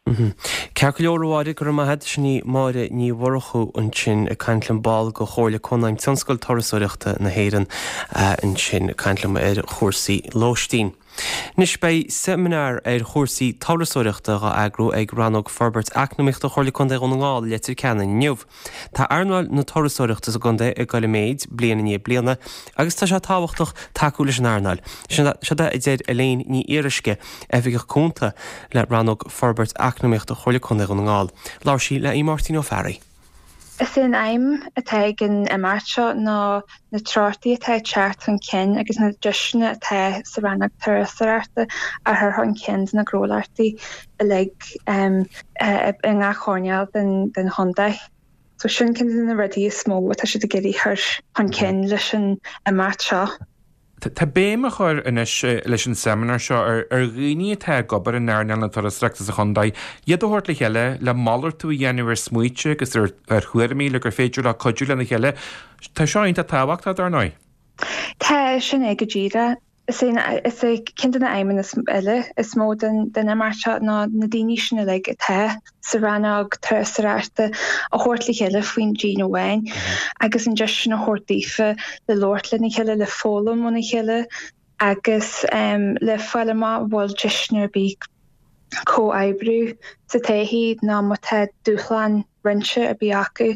Ceart go leor a Mháire go raibh maith agat sin í Máire Ní Mhurchú ansin ag caint liom ball de Chomhairle Cónaidhm Tionscal Turasóireachta na hÉireann ansin ag caint liom ar chúrsaí lóistín. Anois beidh seimineár ar chúrsaí turasóireachta á eagrú ag Rannóg Forbairt Eacnamaíochta Chomhairle Contae Dhún na nGall i Leitir Ceanainn inniu. Tá earnáil na turasóireachta sa gcontae ag dul i méid bliain i ndiaidh bliana agus tá sé tábhachtach tacú leis an earnáil. Seo a deir Elaine Ní Fhíoruisce, Oifigeach Cúnta le Rannóg Forbairt Eacnamaíochta Chomhairle Contae Dhún na nGall. Labhair sí le Máirtín Ó Fearraigh. Is é an aidhm atá ag an imeacht seo ná na treochtaí atá ag teacht chun cinn agus na deiseanna atá sa rannóg turasóireachta a chur chun cinn do na gnólachtaí uilig i ngach earnáil den den chontae. So sin ceann de na rudaí is mó atá siad ag iarraidh chur chun cinn leis an imeacht seo. Tá béim á chur anois leis an seimineár seo ar ar dhaoine atá ag obair in earnáil na turasóireachta sa chontae, iad a thabhairt le chéile le malartú a dhéanamh ar smaointe agus ar ar thuairimí le gur féidir le cuidiú lena chéile. Tá seo iontach tábhachtach dar ndóigh. Tá sin é go díreach. Is é is é ceann de na aidhmeanna eile is mó den den imeacht seo ná na daoine sin uilig atá sa rannóg turasóireachta a thabhairt le chéile faoin díon amháin agus an deis sin a thabhairt daofa le labhairt lena chéile le foghlaim óna chéile agus um, le fáil amach an bhfuil deiseanna ar bith comhoibriú sa todhchaí nó má tá dúshlán roinnte ar bith acu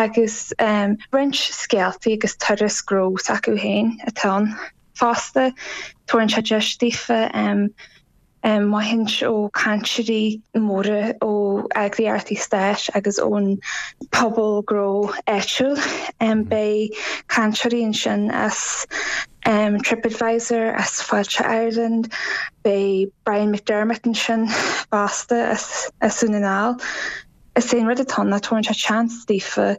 agus um, roinnt scéaltaí agus turas gnó acu féin atá ann. Fosta tugann sé deis daofa um, um, maithaint ó cainteoirí móra ó eagraíochtaí stáit agus ón pobal gnó áitiúil. Um, beidh cainteoirí ansin as um, TripAdvisor as Fáilte Ireland, beidh Brian McDermott ansin fosta as as Dún na nGall. Is é an rud atá ná tugann sé seans daofa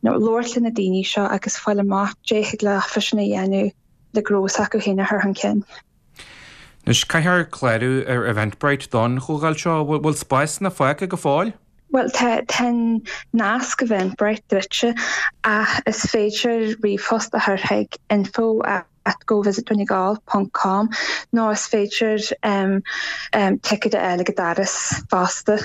nó labhairt le na daoine seo agus fáil amach cad thig leofa sin a dhéanamh le gnó s'acu féin a chur chun cinn. Anois caithfear clárú ar Eventbrite don chomhdháil seo bhfuil spásanna fágtha go fóill? Well tá an nasc Eventbrite druidte ach is féidir ríomhphost a chur chuig info at govisitdonegal.com nó is féidir um, um, ticéad a fháil ag an doras fosta.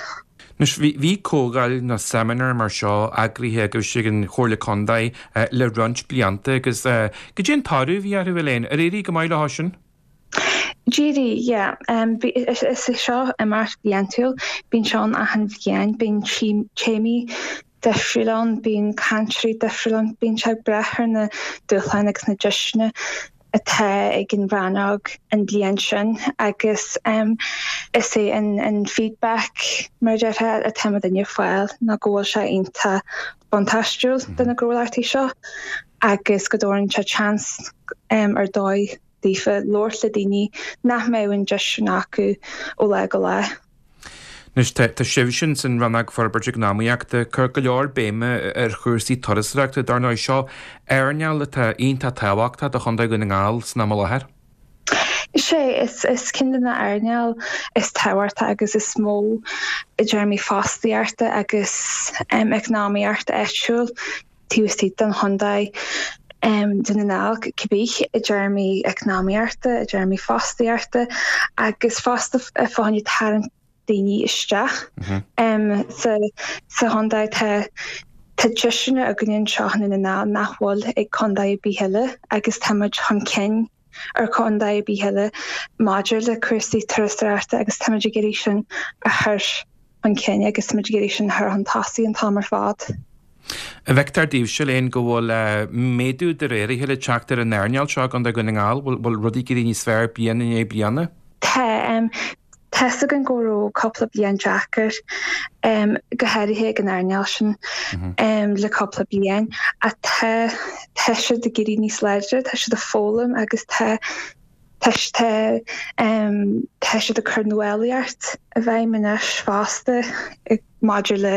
Anois bhí comhdháil nó seimineár mar seo eagraithe agaibh ag an Chomhairle Contae le roinnt blianta agus cad é an toradh a bhí orthu Elaine, ar éirigh go maith leo sin? D'éirigh, yeah. Um, is é seo imeacht bliantúil, bíonn seo achan bhliain, bíonn téamaí difriúil ann, bíonn cainteoirí difriúil ann, bíonn sé ag brath ar na dúshláin agus na deiseanna atá ag an rannóg an bliain sin agus is é an feedback mar a déarfá atá muidinne ag fáil ná go bhfuil sé iontach buntáistiúil do na gnólachtaí seo agus go dtabharann sé seans ar dóigh daofa labhairt le daoine nach mbeadh an deis sin acu ó lá go lá. Anois, tá sibhse san Rannóg Forbairtí Eacnamaíochta ag cur go leor béime ar chúrsaí turasóireachta, dar ndóigh. Seo earnáil atá iontach tábhachtach do Chontae Dhún na nGall san am i láthair. Is é, is ceann de na earnáil is tábhachtaí agus is mó i dtéarmaí fostaíochta agus eacnamaíochta áitiúil taobh istigh den chontae Dún na nGall, cibé, i dtéarmaí eacnamaíochta, i dtéarmaí fostaíochta agus fosta fá choinne tarraingt daoine isteach sa chontae. Tá tá deiseanna againn anseo i nDún na nGall nach bhfuil ag contae ar bith eile agus tá muid chun cinn ar chontae ar bith eile maidir le cúrsaí turasóireachta agus tá muid ag iarraidh sin a chur chun cinn agus tá muid ag iarraidh sin a chur chun tosaigh an t-am ar fad. An bhfeictear daoibhse, Elaine, go bhfuil méadú de réir a chéile ag teacht ar an earnáil seo i gContae Dhún na nGall? Bhfuil rudaí ag éirí níos fearr bliain i ndiaidh bliana? Tá. Tá's againn go raibh cúpla bliain deacair, go háirithe ag an earnáil sin le cúpla bliain, ach tá tá siad ag éirí níos láidre, tá siad ag foghlaim agus tá tá tá tá siad ag cur nuálaíocht i bhfeidhm anois fosta maidir le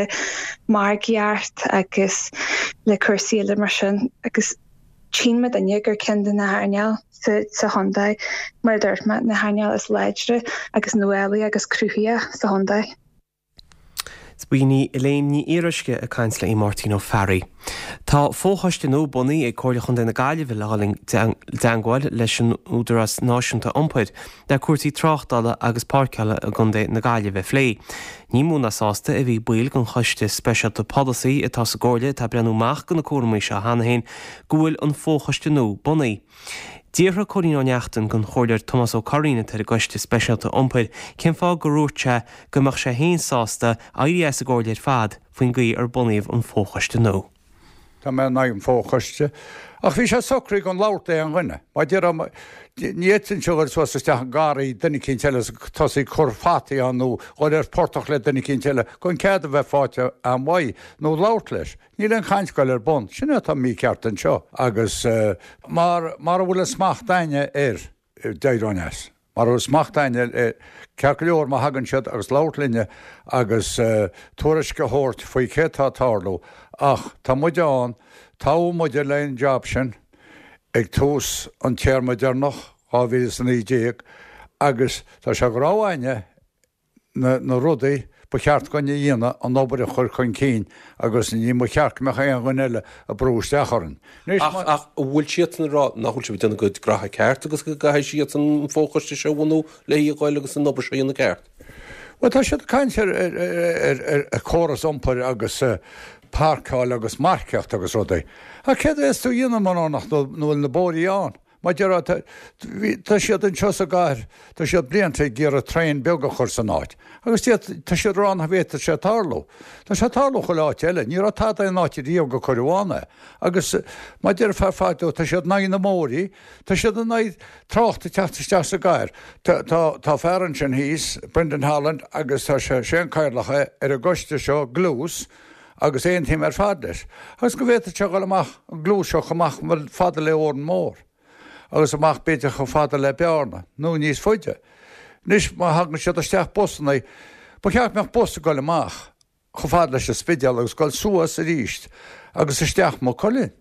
margaíocht agus le cúrsaí eile mar sin agus Tchíonn muidinne gur ceann de na hearnáil sa chontae, mar a dúirt mé, na hearnáil is láidre agus nuálaí agus cruthaíoch sa chontae. B'in í Elaine Ní Fhíoruisce ag caint le Máirtín Ó Fearraigh. Tá fochoiste nua bunaithe ag Comhairle Chontae na Gaillimhe le dhul i dteangmháil leis an Údarás Náisiúnta Iompair le cúrsaí tráchtála agus páirceála i gContae na Gaillimhe a phlé. Ní mó ná sásta a bhí baill den Choiste Speisialta Polasaí atá sa gComhairle atá ag breathnú amach do na cúramaí seo cheana féin go bhfuil an fochoiste nua bunaithe. D'fhiafraigh Cóilín Ó Neachtain den Chomhairleoir Tomás Ó Curraoin atá ar an gCoiste Speisialta Iompair cén fáth gur dhúirt sé go mbeadh sé féin sásta éirí as an gComhairle ar fad faoin gcaoi ar bunaíodh an fochoiste nua. Tá mé in aghaidh an fochoiste. Ach bhí sé socraithe gan labhairt le aon dhuine. Mar déarfá, ní fhéadfainnse dhul suas isteach i ngarraí duine eicínt eile is tosaí ag cur fataí ann nó dhul ar portach le duine eicínt eile gan cead a bheith faighte a'm uaidh nó labhairt leis. Níl aon chaint ag goil ar bun. Sin é atá mícheart anseo. Agus mar, mara bhfuil an smacht a'inne air, d'éireoinn as. Mara bhfuil smacht a'inne air, ceart go leor má thagann siad agus labhairt linne agus tuairisc a thabhairt faoi céard tá ag tarlú, ach tá muid ann, toghadh muide le an job sin ag tús an téarma deireanach, dhá mhíle is a naoi déag, agus tá sé go raibh a'inne na na rudaí ba cheart dhúinn a dhéanamh, an obair a chur chun cinn agus ní ba cheart go mbeadh aon dhuine eile ag brú isteach orainn. Anois má. Ach an bhfuil siadsan ag rá nach bhfuil sibh ag déanamh a gcuid graithe ceart agus go gcaithfidh siadsan an fochoiste seo a bhunú le a ghoil agus an obair seo a dhéanamh ceart? Bhuel tá siad ag caint ar ar ar ar chóras iompair agus páirceáil agus marcaíocht agus rudaí. Ach céard a bheas tú a dhéanamh mura nach bhfuil na bóithrí ann? Mar déarfá, tá siad anseo sa gcathair, tá siad blianta ag iarraidh traein beag a chur san áit. Agus tá siad ag rá nach bhféadfadh sé tarlú. Tá sé ag tarlú chuile áit eile. Ní raibh tada in áit riamh go cuireadh ann é. Agus mar déarfá fadó, tá siad in aghaidh na mbóithrí, tá siad in aghaidh trácht ag teacht isteach sa gcathair. Tá, tá, tá fear ansin thíos, Brendan Holland, agus tá sé, sé an cathaoirleach é ar an gcoiste seo, Gluais, agus aontaím ar fad leis. Agus go bhféadfadh sé dhul amach an Gluais seo chomh maith fada le Órán Mór. Agus amach b'fhéidir chomh fada le Bearna, nó níos faide. Anois má thagann siad isteach busanna, ba cheart go mbeadh bus ag dul amach chomh fada leis an Spidéal agus dul suas arís agus isteach Maigh Cuilinn.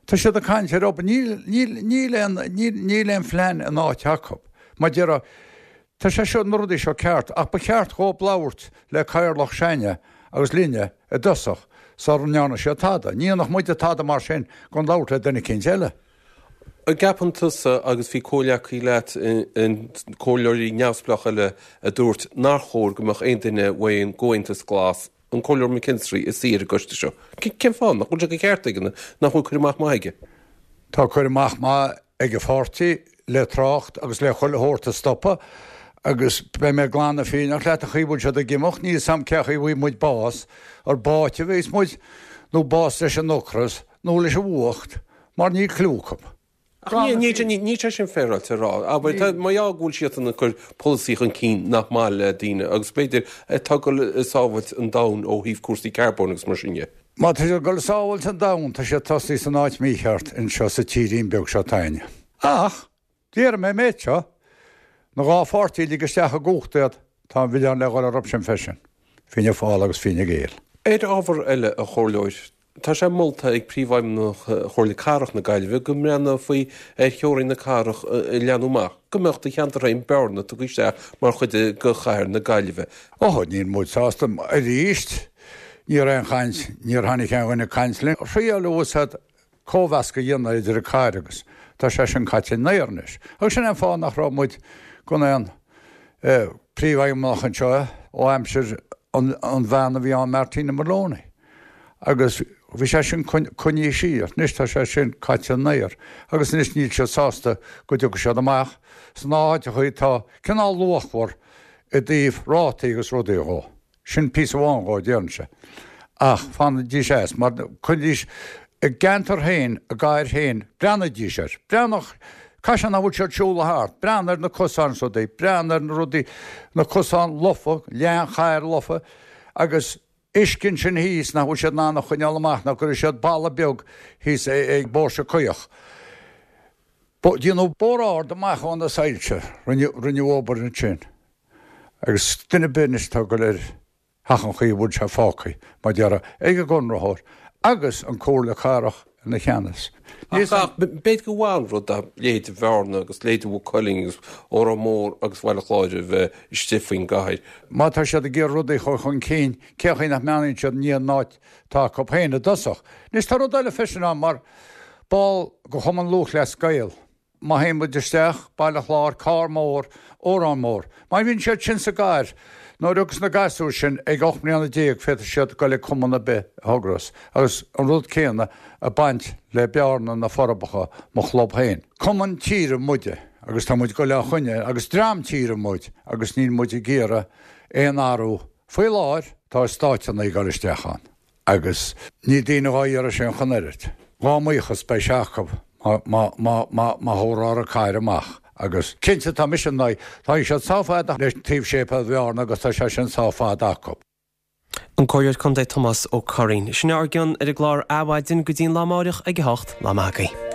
Tá siad ag caint ar obair, níl, níl, níl aon, níl, níl aon phlean in áit acu. Mar déarfá, tá sé seo, na rudaí seo ceart, ach ba cheart dhóib labhairt le cathaoirleach s'againne agus linne i dtosach sara ndearna siad tada. Ní dhéanfadh muide tada mar sin gan labhairt le duine eicínt eile. An gceapann tusa, agus bhí comhghleacaí leat, comhairleoirí neamhspleácha eile, a dúirt nár chóir go mbeadh aon duine ón gComhaontas Glas, an Comhairleoir McKinstry, ina suí ar an gcoiste seo. Cén fáth? Nach bhfuil sé de cheart aige? Nach bhfuil cur amach maith aige? Tá cur amach maith ag a pháirtí le trácht agus le chuile shórt a stopadh agus beidh mé glan fírinneach leat an chaoi a bhfuil siad ag imeacht, níl 's a'm cé chaoi a bhfaighidh muid bás, ar báite a bheas muid nó bás leis an ocras nó leis an bhfuacht mar níl cliú acu. Ach níl sé sin féaráilte a rá. Abair, tá, mar gheall go bhfuil siadsan ag cur polasaí chun cinn nach maith le daoine agus b'fhéidir atá ag dul ag sábhailt an domhain ó thaobh cúrsaí carbóin agus mar sin dhe. Má tá siad ag dul ag sábhailt an domhain, tá siad tosaithe san áit mícheart anseo sa tírín beag seo 'tainne. Ach, déarfaidh mé an méid seo, na dhá pháirtí a lig isteach i gcumhacht iad, tá an milleán le dhul orthu sin freisin, Fianna Fáil agus Fine Gael. Ar ábhar eile, a Chomhairleoir, tá sé molta ag Príomhfheidhmeannach Chomhairle Cathrach na Gaillimhe go mbreathnófaí ar theorainn na cathrach a leathnú amach, go mbeadh do cheantar féin, Bearna, tugtha isteach mar chuid de chathair na Gaillimhe. Ó, níl muid sásta. Arís, ní raibh aon chaint, níor tháinig aon dhuine ag caint linn. Thriaileadh siad cóimheasc a dhéanamh idir an cathair agus tá sé sin caite in aer anois. Agus sin é an fáth nach raibh muid gan aon príomhfheidhmeannach anseo ó aimsir an bhean a bhí ann, Martina Moloney. Agus bhí sé sin coinnithe siar. Anois tá sé sin caite in aer. Agus anois níl siad sásta go dtiocfaidh siad amach sna háiteachaí atá cineál luachmhar i dtaobh rátaí agus rudaí dhó. Sin píosa amháin dhó, déarfainnse. Ach fanaidís as, mar coinnidís a gceantar féin, a gcathair féin, breathnaídís air. Breathnaigh, caithfidh sé nach bhfuil siad siúl thart, breathnaigh ar na cosáin is rudaí, breathnaigh ar na rudaí, na cosáin lofa, leath an chathair lofa, agus uisce ansin thíos nach bhfuil siad in ann a choinneáil amach, nach gcuirfidh siad balla beag thíos ag Póirse Caoch. Déanadh bóthar ard amach ó na soilse, rinneadh obair ansin. Agus duine ar bith anois atá ag dul ar theach an chaoi a bhfuil sé fágtha, mar déarfá, ag an gconraitheoir agus an Comhairle Cathrach ina cheannas. Ach b'fhéidir gur mhaith an rud dá leithéid de Bhearna agus leithéid de Mhaigh Cuilinn agus Órán Mór agus Baile Chláir a bheith istigh faoin gcathair. Má tá siad ag iarraidh rudaí a chur chun cinn, cén chaoi nach mbreathnaíonn siad i ndiaidh an áit atá acu féin i dtosach? Anois tá rud eile freisin ann, mar ball de Chumann Lúthchleas Gael, Má théann muid isteach, Baile Chláir, Carr Mór, Órán Mór. Má bhíonn siad sin sa gcathair, nuair a thiocfas na gasúir sin ag ocht mbliana déag féadfaidh siad dul ag cumann ar bith a thograíos agus an rud céanna ag baint le Bearna, Na Forbacha, mo chlub féin. Cumann tíre muide agus tá muid ag dul á choinneáil agus dream tíre muid agus níl muid ag iarraidh aon athrú. Faoi láthair tá stáiteanna ag dul isteach ann. Agus níl daoine dhá iarraidh sin ach an oiread. Dhá mbuíochas beidh sé acu má thabharfar an cathair amach. Agus cinnte tá mise in aghaidh, tá siad sách fada le taobh séipéal Bhearna agus tá sé sin sách fada acu. An Comhairleoir Contae Tomás Ó Curraoin. Sin ár gcion ar an gclár Adhmhaidin go dtí an lá amáireach ag a hocht. Lá maith agaibh.